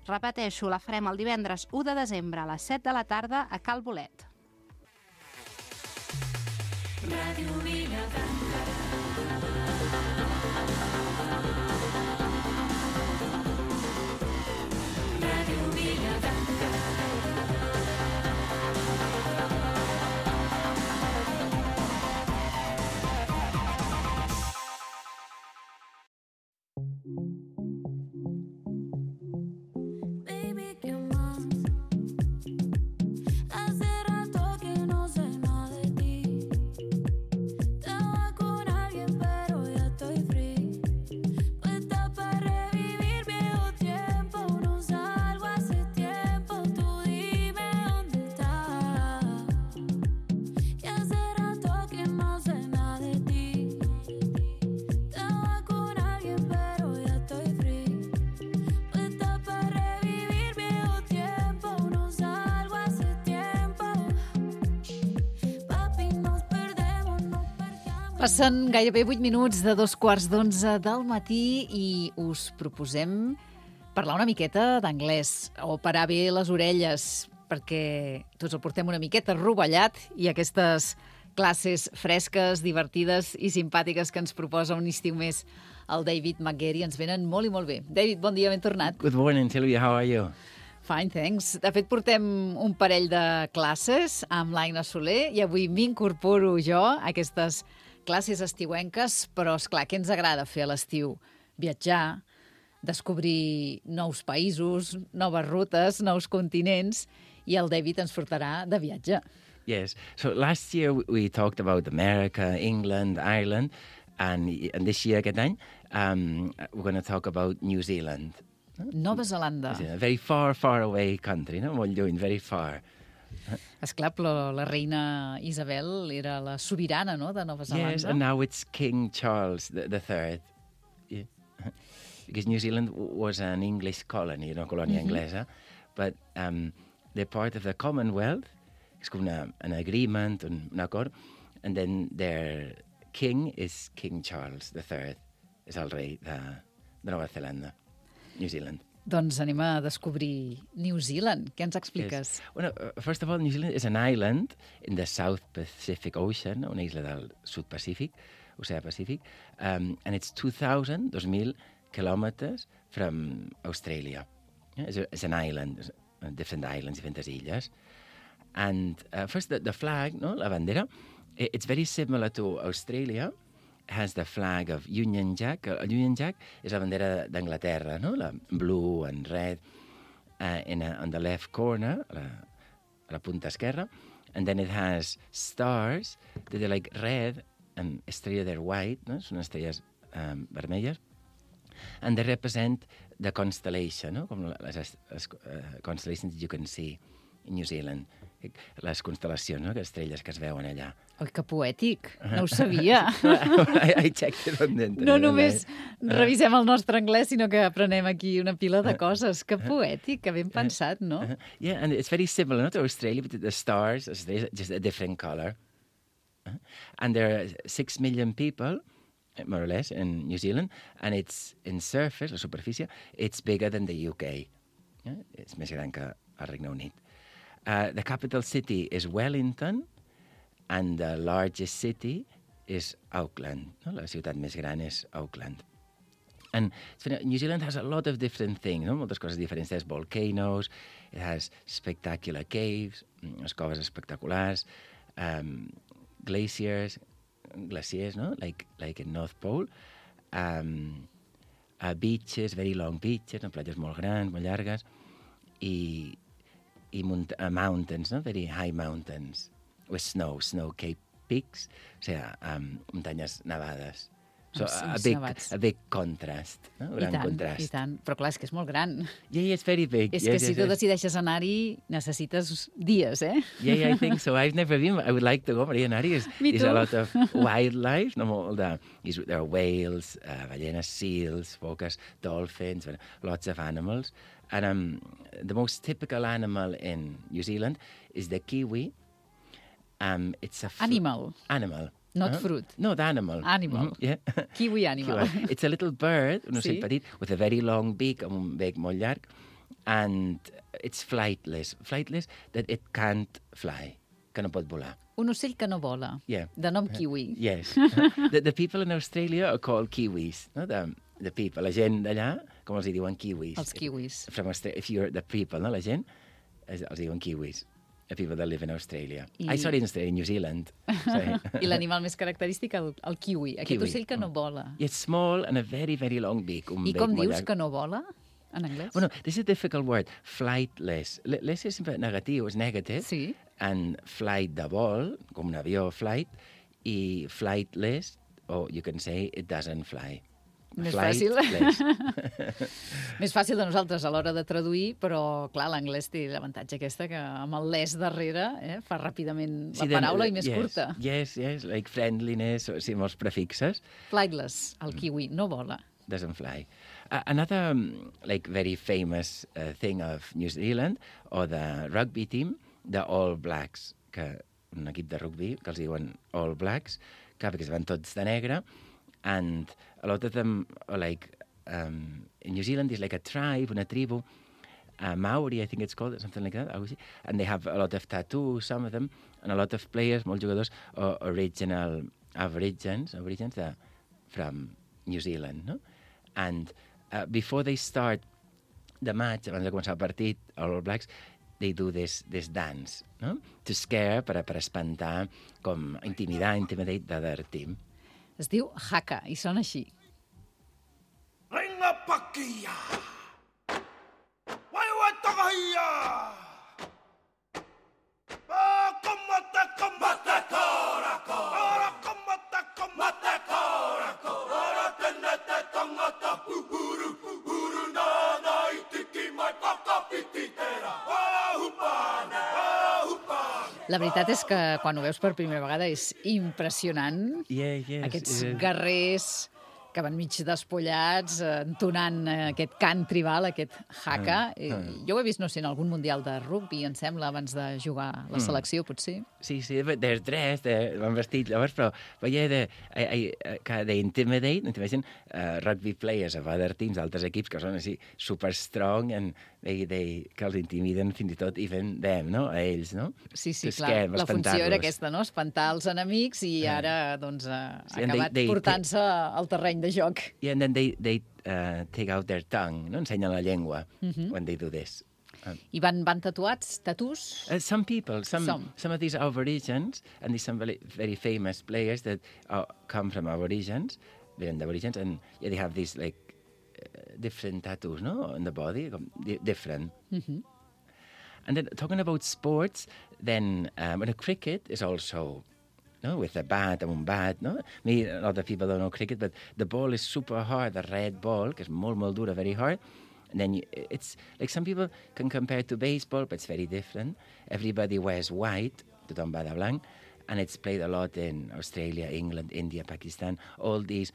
Repeteixo, la farem el divendres u de desembre a les set de la tarda a Cal Bolet. Ràdio Vilafranca. Ràdio Vilafranca.
Passen gairebé vuit minuts de dos quarts d'onze del matí i us proposem parlar una miqueta d'anglès o parar bé les orelles, perquè tots el portem una miqueta rovellat i aquestes classes fresques, divertides i simpàtiques que ens proposa un estiu més el David McGarry ens venen molt i molt bé. David, bon dia, ben tornat.
Good morning, Sylvia. How are you?
Fine, thanks. De fet, portem un parell de classes amb l'Aina Soler i avui m'incorporo jo a aquestes classes estiuenques, però, esclar, què ens agrada fer a l'estiu? Viatjar, descobrir nous països, noves rutes, nous continents, i el David ens portarà de viatge.
Yes. So last year we talked about America, England, Ireland, and, and this year, aquest any, um, we're going to talk about New Zealand.
Nova Zelanda.
A very far, far away country, no? Molt lluny, very far.
Esclar, però la reina Isabel era la sobirana, no?, de Nova Zelanda.
Yes, and now it's King Charles the, the third. Yeah. Because New Zealand was an English colony, una colònia mm-hmm. anglesa, but um, they're part of the Commonwealth. És com una, an agreement, un, un acord, and then their king is King Charles the third. És el rei de, de Nova Zelanda, New Zealand.
Doncs anem a descobrir New Zealand. Què ens expliques?
Yes. Well, uh, first of all, New Zealand is an island in the South Pacific Ocean, una isla del Sud Pacífic, Oceà Pacífic, um, and it's two thousand, dos mil kilometers from Australia. Yeah, it's, a, it's an island, different islands, diferents illes. And uh, first, the, the flag, no, la bandera, it, it's very similar to Australia. Has the flag of Union Jack. El Union Jack és la bandera d'Anglaterra, no? La blue and red uh, in a, on the left corner, a la, a la punta esquerra. And then it has stars that are like red and estrella they're white, no? Són estrelles um, vermelles. And they represent the constellation, no? Com les, les uh, constellations that you can see in New Zealand. Les constel·lacions, no? Que estrelles que es veuen allà.
Oi, que poètic. No ho sabia.
I, I checked it on the internet.
No només revisem el nostre anglès, sinó que aprenem aquí una pila de coses. Que poètic, que ben pensat, no?
Yeah, and it's very similar, not to Australia, but the stars, just a different color. And there are six million people, more or less, in New Zealand, and it's in surface, la superfície, it's bigger than the U K. Yeah? It's més gran que el Regne Unit. Uh, the capital city is Wellington, and the largest city is Auckland. No? La ciutat més gran és Auckland. And New Zealand has a lot of different things, no? Moltes coses diferents. There's volcanoes, it has spectacular caves, unes coves espectaculars, um, glaciers, glaciers, no? Like, like in North Pole. Um, uh, beaches, very long beaches, no? Platges molt grans, molt llargues, i i munt uh, mountains, no? Very high mountains, with snow, snow-capped peaks, o sigui, um, muntanyes nevades. So, a big, a big contrast, no? Un gran
I tant,
contrast.
I tant, però clar, és que és molt gran.
Yeah, yeah, it's very big.
És
yes,
que
yes,
si tu
yes.
decideixes anar-hi, necessites dies, eh?
Yeah, yeah, I think so. I've never been. I would like to go, m'agradaria anar-hi.
Me
There's
too.
a lot of wildlife, no? Molt de, there are whales, uh, ballenes, seals, foques, dolphins, lots of animals. And um, the most typical animal in New Zealand is the kiwi. Um, it's a fr-
Animal.
Animal.
Not
uh,
fruit.
No, the animal.
Animal.
Mm-hmm. Yeah.
Kiwi animal.
Kiwi. It's a little bird, un ocell
Sí.
petit, with a very long beak, amb un bec molt llarg, and it's flightless. Flightless, that it can't fly, que no pot volar.
Un ocell que no vola.
Yeah.
De nom kiwi.
Yes. the, the people in Australia are called kiwis, no? The, the people, la gent d'allà, com els hi diuen kiwis.
Els kiwis.
From Austra- if you're the people, no? La gent, els, els diuen kiwis. The people that live in Australia.
I...
I sorry, in Australia, in New Zealand. Sorry.
I l'animal més característic, el, el kiwi. Aquest
Kiwi.
ocell que no vola.
It's small and a very, very long beak. Un
I
bec
com
molt
dius
llarg.
que no vola, en anglès?
Bueno, this is a difficult word. Flightless. L- less és sempre negatiu, és negative.
Sí.
And flight de vol, com un avió, flight. I flightless, or you can say it doesn't fly.
Més
Flightless.
fàcil. Més fàcil de nosaltres a l'hora de traduir, però, clar, l'anglès té l'avantatge aquesta que amb el les darrere eh, fa ràpidament la
Sí, then,
paraula i
uh,
més
yes,
curta.
Yes, yes, like friendliness, o sí, molts prefixes.
Flightless, el kiwi, no vola.
Doesn't fly. Uh, another um, like very famous uh, thing of New Zealand, or the rugby team, the All Blacks, que un equip de rugby que els diuen All Blacks, clar, because van tots de negre, and a lot of them are like, um, in New Zealand, there's like a tribe, una tribu, uh, Maori, I think it's called, something like that, and they have a lot of tattoos, some of them, and a lot of players, molts jugadors, are original Aborigines, Aborigines uh, from New Zealand, no? And uh, before they start the match, abans de començar el partit, All Blacks, they do this, this dance, no? To scare, per, per espantar, com intimidar, intimidate the other team.
Es diu haka i sona així.
Ringa paquilla! Wai wai tagahia! Ah, como te como te coraco! Ahora como te como te coraco! Ahora tenete con ota pupuru pupuru na na itiki mai paka pititera! Ah, hupane! Ah, hupane!
La veritat és que quan ho veus per primera vegada és impressionant.
Yeah, yes,
Aquests
uh,
guerrers que van mig despullats, eh, entonant eh, aquest cant tribal, aquest haka.
Mm, mm.
Jo ho he vist, no sé, en algun mundial de rugby, em sembla, abans de jugar la selecció, potser.
Sí, sí, dels tres, de, van vestit llavors, però veia de, I, I, que de intimidate, intimidation, uh, rugby players of other teams, altres equips que són així super strong, and they, they, que els intimiden fins i tot even them, no? A ells, no?
Sí, sí,
To
clar.
scare,
La funció era aquesta, no? Espantar els enemics i ara, doncs, ha
Sí,
acabat
they- they-
portant-se al terreny de joc.
Yeah, and then they, they uh, take out their tongue, no? Ensenyen la llengua
Mhm.
when they do this. Um,
I van, van tatuats, tatus?
Uh, some people, some,
Some.
some of these Aborigines, and there's some very, very famous players that uh, come from Aborigines, they're the Aborigines, and yeah, they have these like uh, different tattoos, no, on the body, com- di- different.
Mhm.
And then talking about sports, then um, and cricket is also, no, with a bat and un bat, no. Me, a lot of people don't know cricket, but the ball is super hard, the red ball, que és molt, molt dura, very hard. And then you, it's like some people can compare to baseball, but it's very different. Everybody wears white, tothom va de blanc, and it's played a lot in Australia, England, India, Pakistan, all these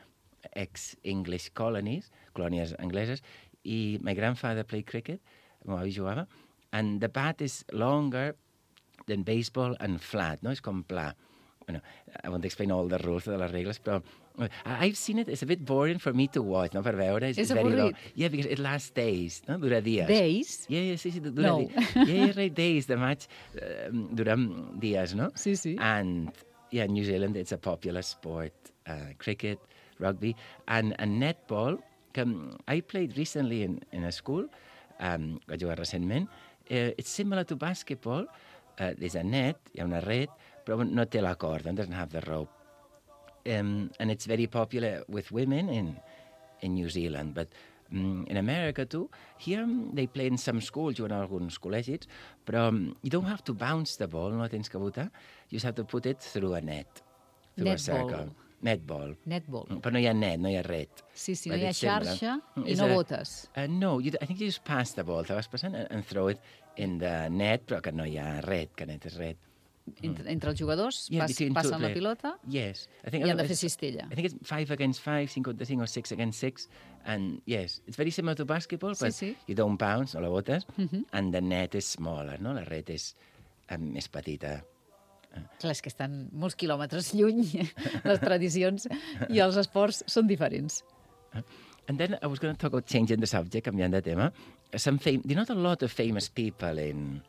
ex-English colonies, colònies angleses. I my grandfather played cricket, meu avi jugava, and the bat is longer than baseball and flat, no? És com pla. Bueno, I won't explain all the rules de les regles, però uh, I've seen it. It's a bit boring for me to watch, no? Per veure. It's
És
very long.
avorrit.
Yeah, because it lasts days, no? Dura dies.
Days?
Yeah, yeah, sí, sí, dura
No.
dies. Yeah, yeah, right, days. The match um, dura dies, no?
Sí, sí.
And, yeah, in New Zealand, it's a popular sport. Uh, cricket, rugby, and, and netball. Que, um, I played recently in, in a school, um, vaig jugar recentment. Uh, it's similar to basketball. Uh, there's a net, hi ha una red, però no té la corda, doesn't have the rope. Um, and it's very popular with women in, in New Zealand, but um, in America too. Here um, they play in some schools, juguen a alguns col·legis, però um, you don't have to bounce the ball, no tens que botar. You just have to put it through a net, through
Netball.
a circle. Netball.
Netball.
Però no hi ha net, no hi ha red.
Sí, sí, no
But
hi ha
it's similar.
xarxa i
It's
no
a-
botes.
Uh, no, you, I think you just pass the ball, te vas passant and, and throw it in the net, però que no hi ha red, que net és red.
Entre, entre els jugadors
Yeah,
pas,
between two
passen la
players.
pilota
Yes. I think
i han de
it's-
fer cistella.
I think it's five against five, cinco contra cinco, or six against six. And yes, it's very similar to basketball,
Sí,
but
sí.
you don't bounce, no la botes,
Mhm.
and the net is smaller, no? La red és um, més petita.
Clar, és que estan molts quilòmetres lluny, les tradicions i els esports són diferents.
And then I was going to talk about changing the subject, canviant de tema. Some fam- there are not a lot of famous people in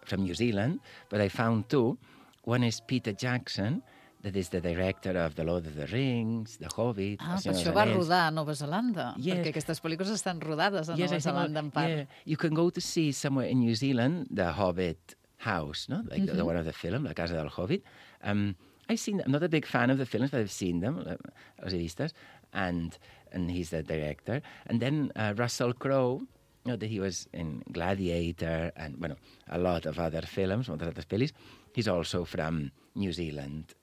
from New Zealand, but I found two. One is Peter Jackson, that is the director of The Lord of the Rings, The Hobbit...
Ah,
El
per
Senyor
això
dels
va
Anells.
rodar a Nova Zelanda,
Yes.
perquè aquestes pel·lícules estan rodades a
Yes,
Nova
I think,
Zelanda en part.
yeah, you can go to see somewhere in New Zealand the Hobbit house, no? Like the, the
Mhm.
one of the film, La Casa del Hobbit. Um, I've seen. I'm not a big fan of the films, but I've seen them, uh, els he vistes, and and he's the director. And then uh, Russell Crowe, you know, that he was in Gladiator and bueno, a lot of other films, moltes altres pel·lis. He's also from New Zealand.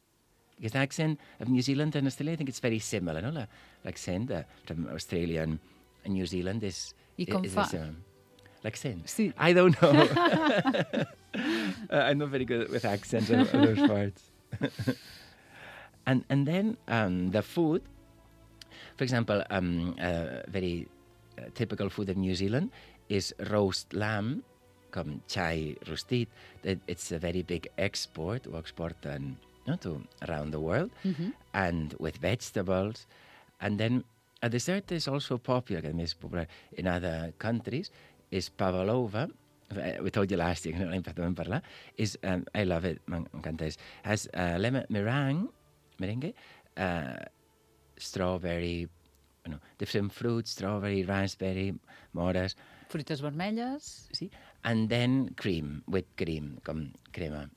Because the accent of New Zealand and Australia, I think it's very similar, no? La- L'accent uh, from Australia and, and New Zealand is...
I com
is
fa?
the same. L'accent?
Sí.
I don't know. uh, I'm not very good with accents of, of those parts. and and then um, the food, for example, um, uh, very uh, typical food of New Zealand is roast lamb, com xai rostit. That it's a very big export, ho exporten no, to around the world,
Mhm.
and with vegetables. And then a dessert is also popular, que més popular in other countries, is pavlova. We told you last year, no l'hem parlat parlar. Is um, I love it, m'encanta. Is has uh, lemon meringue, merengue, uh, strawberry, bueno, different fruits, strawberry, raspberry, mores.
Fruites vermelles.
Sí. And then cream, whipped cream, com crema.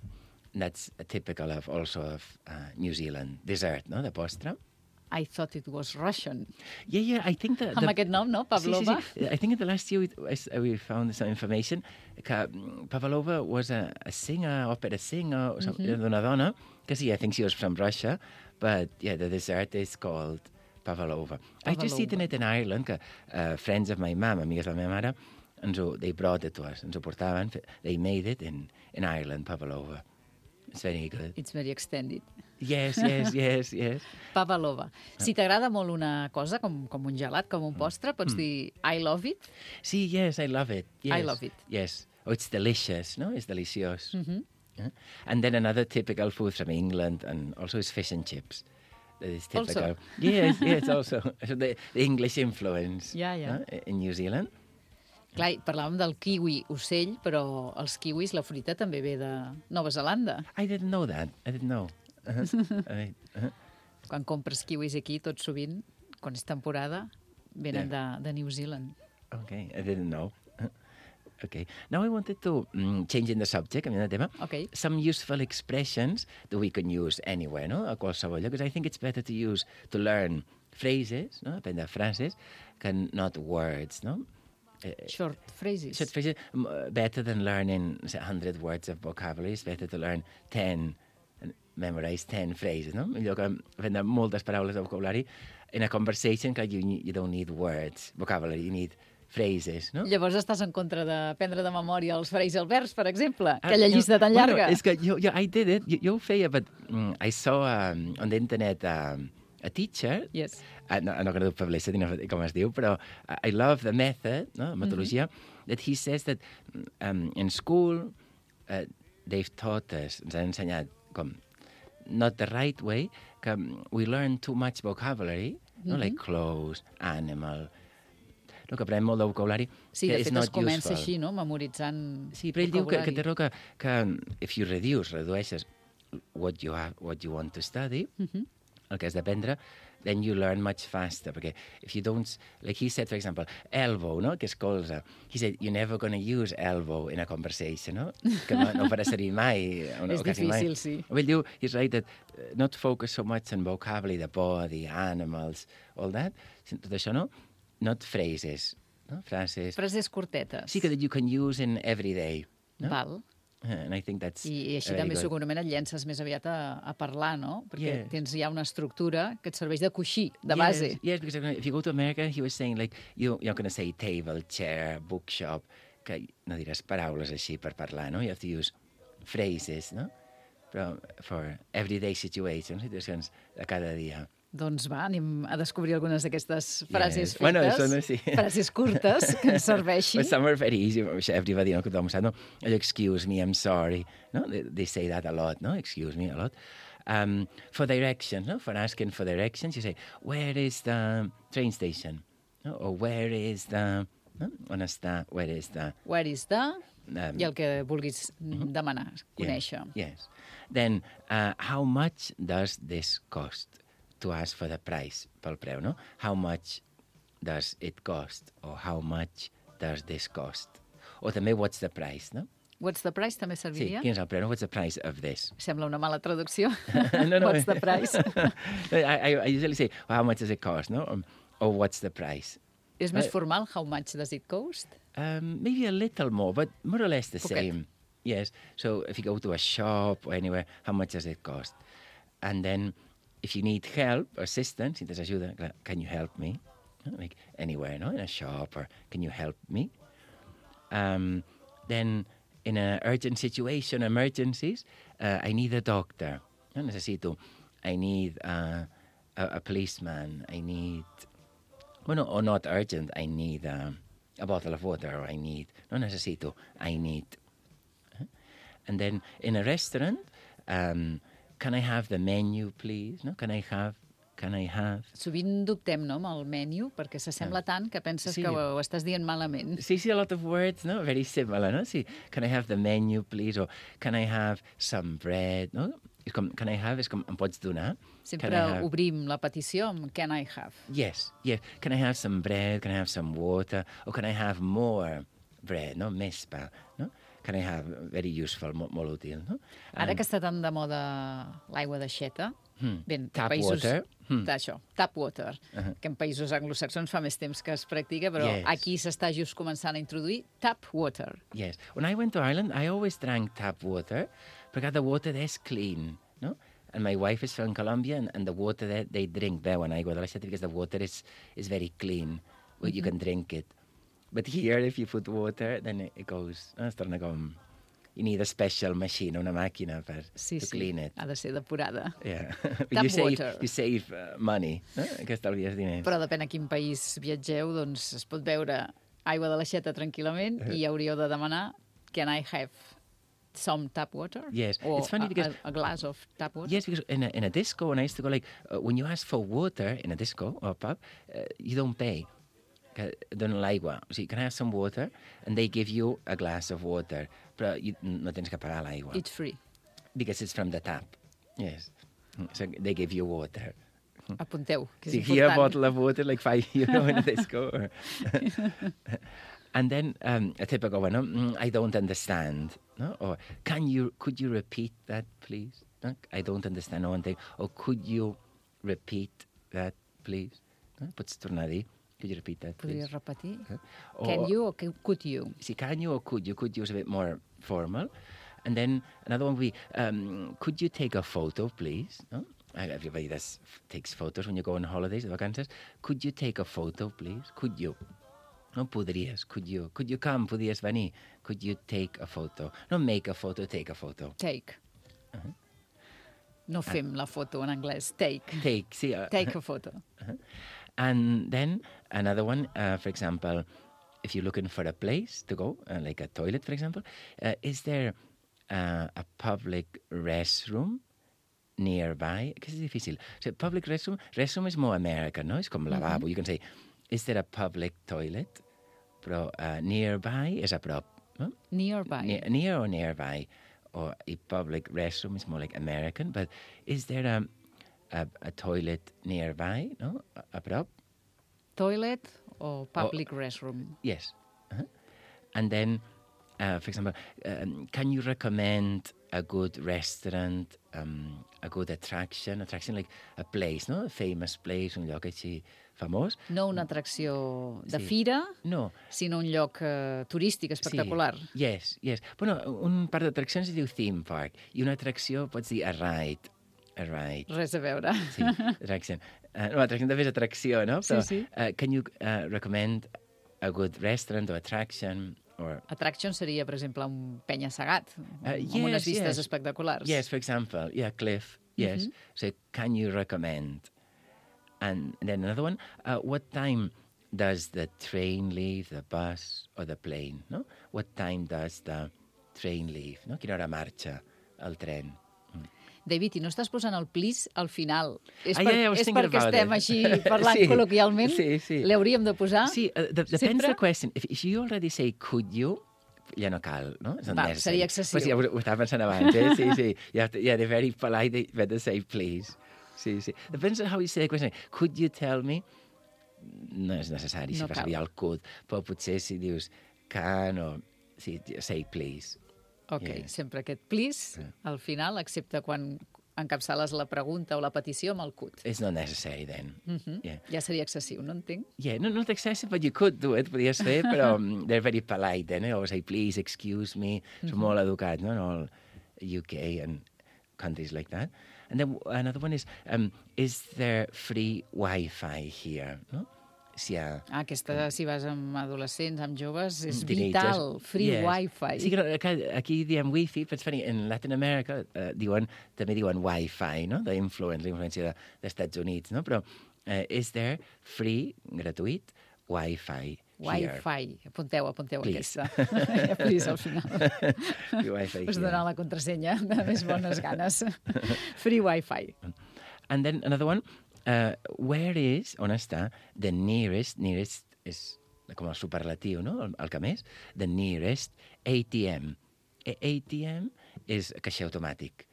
That's typical of also of uh, New Zealand dessert, no? The postre.
I thought it was Russian.
Yeah, yeah, I think that...
Amb aquest nom, no? Pavlova.
Sí, sí, sí. I think in the last year we, we found some information que Pavlova was a, a singer, opera singer, or something,
Mhm.
d'una dona, que sí, I think she was from Russia, but yeah, the dessert is called Pavlova. I just eaten it in Ireland, que uh, friends of my mum, amigues de la meva mare, ens ho, they brought it to us, ens ho portaven, they made it in, in Ireland, Pavlova. It's very good.
It's very extended.
Yes, yes, yes, yes.
Pavlova. Si t'agrada molt una cosa, com, com un gelat, com un postre, pots
Mm.
dir I love it?
Sí, yes, I love it. Yes.
I love it.
Yes. Oh, it's delicious, no? It's delicious.
Mhm.
Yeah. And then another typical food from England and also is fish and chips. That is typical.
Also.
Yes, yes, also. So the, the English influence
Ja, ja.
no? in New Zealand.
Clar, i parlàvem del kiwi ocell, però els kiwis, la fruita també ve de Nova Zelanda.
I didn't know that. I didn't know. Uh-huh. I, uh-huh.
Quan compres kiwis aquí, tot sovint, quan és temporada, venen de, de New Zealand.
Okay, I didn't know. Okay. Now I wanted to um, change in the subject, canviant de tema.
Okay.
Some useful expressions that we can use anywhere, no? A qualsevol lloc, because I think it's better to use, to learn phrases, no? Aprendre frases, que not words, no?
Short phrases.
Short phrases, m- better than learning say, one hundred words of vocabulary, it's better to learn ten, and memorize ten phrases, no? Millor que aprendre moltes paraules de vocabulari in a conversation que you, you don't need words, vocabulary, you need phrases, no?
Llavors estàs en contra d'aprendre de memòria els frases i els verbs, per exemple,
Ah,
aquella
no,
llista tan
bueno,
llarga.
És que jo, jo, I did it, jo, jo ho feia, but mm, I saw um, on the internet um, a teacher,
yes.
uh, no, I'm not going to do publicity, no, com es diu, però I love the method, no, la metodologia, mm-hmm. that he says that um, in school uh, they've taught us, ens han ensenyat com not the right way, que we learn too much vocabulary, no,
Mhm.
like clothes, animal, no, que aprenem molt de vocabulari,
Sí,
que
de
is
fet
not
es comença
useful.
així, no?, memoritzant
Sí, però ell diu que, que
vocabulari.
té raó que, que if you reduce, redueixes what you, have, what you want to study,
Mhm.
el que has d'aprendre, then you learn much faster, perquè if you don't, like he said, for example, elbow, no?, que és colze. He said, you're never going to use elbow in a conversation, no? Que no, no farà servir mai. O no,
És
o quasi mai.
difícil, sí.
Ell diu, he's right, that uh, not focus so much on vocabulary, the body, animals, all that, tot això, no? Not phrases, no? Frases.
Frases curtetes.
Sí, que that you can use in every day. No?
Val.
And I think that's
I, i així
very
també
good.
segurament et llences més aviat a, a parlar, no? Perquè
Yes.
tens ja una estructura que et serveix de coixí, de base.
Yes, yes, because if you go to America, he was saying, like, you, you're going to say table, chair, bookshop, que no diràs paraules així per parlar, no? You have to use phrases, no? Però for everyday situations, situacions de cada dia.
Doncs va, anem a descobrir algunes d'aquestes frases
Yes.
fetes,
Bueno, això no, sí.
frases curtes que ens serveixin.
But some are very easy. Everybody, no, que tothom sap, no? Excuse me, I'm sorry. No? They, they say that a lot, no? Excuse me, a lot. Um, for directions, no? For asking for directions, you say, where is the train station? No? Or where is the... No? On està? Where is the...
Where is the...
Um,
I el que vulguis demanar, conèixer.
Yes. Then, uh, how much does this cost? To ask for the price, pel preu, no? How much does it cost? Or how much does this cost? O també, what's the price, no?
What's the price també
Sí,
serviria?
quin és el preu? No? What's the price of this?
Sembla una mala traducció.
no, no.
What's the price?
I, I, I usually say, well, how much does it cost, no? Um, or what's the price?
És més
Uh,
formal, how much does it cost?
Um, maybe a little more, but more or less the
Poquet.
same. Yes. So if you go to a shop or anywhere, how much does it cost? And then if you need help, assistance, si tens ajuda, clar, can you help me? No? Like anywhere, no? In a shop, or can you help me? Um, then in an urgent situation, emergencies, uh, I need a doctor. No? Necessito. I need uh, a, a policeman. I need... Well, no, or not urgent. I need uh, a bottle of water, or I need... No necesito. I need... And then in a restaurant, um, can I have the menu, please? No? Can I have, can I have...
Sovint dubtem, no?, amb el menu, perquè s'assembla tant que penses
Sí.
que ho, ho estàs dient malament.
See, see a lot of words, no? Very similar, no? See, can I have the menu, please? Or can I have some bread? No? És com, can I have, és com, em pots donar?
Sempre
Can I have-
obrim la petició amb can I have.
Yes, yes. Can I have some bread? Can I have some water? Or can I have more bread? No? Més pa, no? Can I have, very useful, molt, molt útil, no?
Ara que està tan de moda l'aigua d'aixeta,
Hmm.
ben,
Tap
països...
water. Hmm.
D'això, tap water,
Uh-huh.
que en països anglosaxons fa més temps que es practica, però
Yes.
aquí s'està just començant a introduir tap water.
Yes. When I went to Ireland, I always drank tap water because the water there is clean, no? And my wife is from Colombia, and, and the water that they drink beuen aigua de l'aixeta because the water is, is very clean. Well, you can drink it. But here, if you put water, then it, it goes... No? Es torna com... You need a special machine, una màquina per
Sí,
to
sí,
clean it.
ha de ser depurada.
Yeah.
Tap
you save,
water.
you save uh, money, no? Que estalvies diners.
Però depèn a quin país viatgeu, doncs es pot beure aigua de l'aixeta tranquil·lament i hauríeu de demanar can I have some tap water?
Yes.
Or
It's funny
a,
because-
a, a glass of tap water?
Yes, because in a, in a disco, when I used to go, like, uh, when you ask for water in a disco or a pub, uh, you don't pay. Que donen l'aigua. O sigui, can I have some water? And they give you a glass of water. Però you, no tens que pagar l'aigua.
It's free.
Because it's from the tap. Yes. So they give you water.
Apunteu, que és
See, here a
important.
bottle of water, like five euro in a disco. Or... and then um, a typical one, no? Mm, I don't understand. No? Or can you, could you repeat that, please? No? I don't understand one thing. Or could you repeat that, please? No? Pots tornar a dir? Could you repeat that, please?
Podries repetir?
Or-
Can you or can- could you?
See, can you or could you? Could you is a bit more formal. And then another one would be, um, could you take a photo, please? No? Everybody does, takes photos when you go on holidays, de vacances. Could you take a photo, please? Could you? No podries, could you? Could you come? Podries venir? Could you take a photo? No make a photo, take a photo.
Take.
Uh-huh.
No fem la foto en anglès. Take.
Take, see. Uh,
Take a photo.
Uh-huh. And then another one, uh, for example, if you're looking for a place to go, uh, like a toilet, for example, uh, is there uh, a public restroom nearby? Because it's difícil. So public restroom, restroom is more American, no? It's com lavabo.
Mhm.
You can say, is there a public toilet? Però uh, nearby is a prop. No?
Nearby.
Near, near or nearby. Or a public restroom is more like American. But is there a, a, a toilet nearby? No? A, a prop?
Toilet or public restroom?
Yes. Uh-huh. And then, uh, for example, um, can you recommend a good restaurant, um, a good attraction? Attraction like a place, no? A famous place, un lloc així famós.
No una atracció de
Sí.
fira,
No.
sinó un lloc eh, turístic espectacular.
Sí. Yes, yes. Bueno, un parc d'atraccions es diu theme park i una atracció pots dir a ride. A ride.
Res a veure.
Sí, attraction. Uh, no, atracció també és atracció, no? Però,
Sí, sí.
Uh, can you uh, recommend a good restaurant or attraction or...
Attraction seria, per exemple, un penya-segat,
Uh,
amb unes
yes,
vistes
yes.
espectaculars.
Yes, for example, yeah, cliff, yes.
Mhm.
So, can you recommend? And then another one, uh, what time does the train leave, the bus or the plane, no? What time does the train leave, no? Quina hora marxa el tren?
David, i no estàs posant el please al final. És,
Ah,
per,
yeah, yeah, I was
és
thinking
perquè
about
estem
it.
així parlant
Sí,
col·loquialment?
sí, sí.
L'hauríem de posar?
Sí, uh, de, depends
Sempre?
the question. If, if you already say could you, ja no cal, no? It's not
Va,
necessary.
seria excessiu.
Pues sí, ho, ho estava pensant abans, eh? Sí, sí. You have to, yeah, they're very polite, they better say please. Sí, sí. Depends on how you say the question. Could you tell me? No és necessari,
No
si fa
cal.
servir el could, però potser si dius can o... Sí, say please.
Ok,
Yeah.
sempre aquest please al final, excepte quan encapçales la pregunta o la petició amb el could.
It's not necessary then.
Mhm.
Yeah.
Ja seria excessiu, no entenc?
Yeah, no, not excessive, but you could do it, podies fer, però um, they're very polite then, eh? Always say, please, excuse me. Són
Mhm.
molt educats, no? In all U K and countries like that. And then another one is, um, is there free Wi-Fi here? No? Si hi ha...
Ah, aquesta, si vas amb adolescents, amb joves, és
teenagers.
vital. Free
Yes.
Wi-Fi.
Sí, que no, aquí, aquí diem Wi-Fi, però és funny, en Latin America uh, diuen, també diuen Wi-Fi, no? De influence, la influència de, d'Estats Units, no? Però uh, is there free, gratuït, Wi-Fi?
Wi-Fi. Apunteu, apunteu
Please.
aquesta. Please, al final.
Free Wi-Fi
Us
here.
donar la contrasenya de més bones ganes. Free Wi-Fi.
And then another one, uh, where is, on està, the nearest, nearest és com el superlatiu, no? El, el que més, the nearest A T M. A ATM és caixer automàtic.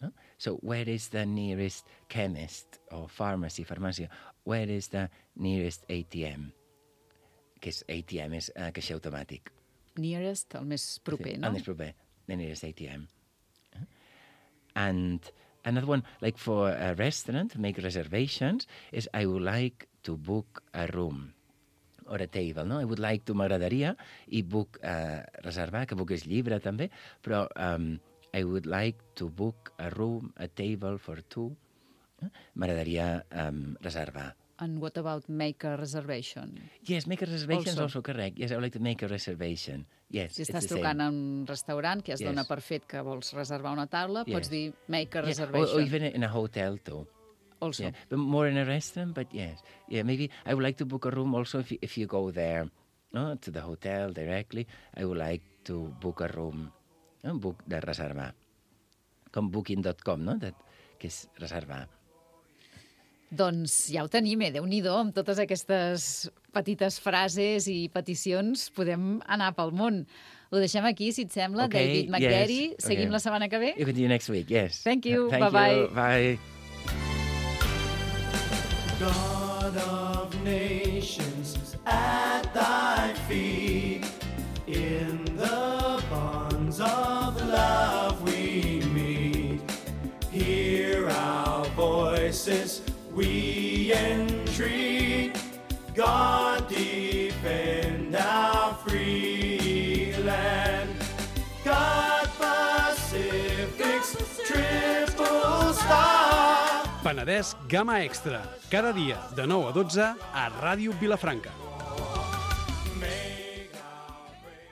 No? So, where is the nearest chemist or pharmacy, farmàcia? Where is the nearest A T M? Que és A T M, és uh, caixer automàtic.
Nearest, el més proper,
Sí,
no?
el més proper, the nearest A T M. And another one, like for a restaurant, to make reservations, is I would like to book a room or a table, no? I would like to, m'agradaria, i book, uh, reservar, que book és llibre també, però um, I would like to book a room, a table for two. Eh? M'agradaria um, reservar.
And what about make a reservation?
Yes, make a reservation is
Also.
also correct. Yes, I would like to make a reservation. Yes,
Si
it's
estàs
the same.
trucant a un restaurant que es
Yes.
dona per fet que vols reservar una taula,
Yes.
pots dir make a
Yeah,
reservation.
Or, or even in a hotel too.
Also.
Yeah, but more in a restaurant, but yes. Yeah, maybe I would like to book a room also if you, if you go there, no, to the hotel directly. I would like to book a room, no, book de reservar. Com booking dot com, no? That, que és reservar.
Doncs ja ho tenim, eh? Déu-n'hi-do, amb totes aquestes petites frases i peticions podem anar pel món. Ho deixem aquí, si et sembla,
Okay,
David McGarry.
yes,
Seguim
okay.
la setmana que ve?
You can do next week, yes.
Thank you,
Thank
bye-bye.
you, bye.
God of nations, at thy feet, in the bonds of love we meet. Hear our voices, we entreat. God defend our free land. God Pacific's triple star.
Penedès Gamma Extra, cada dia de nou a dotze a Ràdio Vilafranca.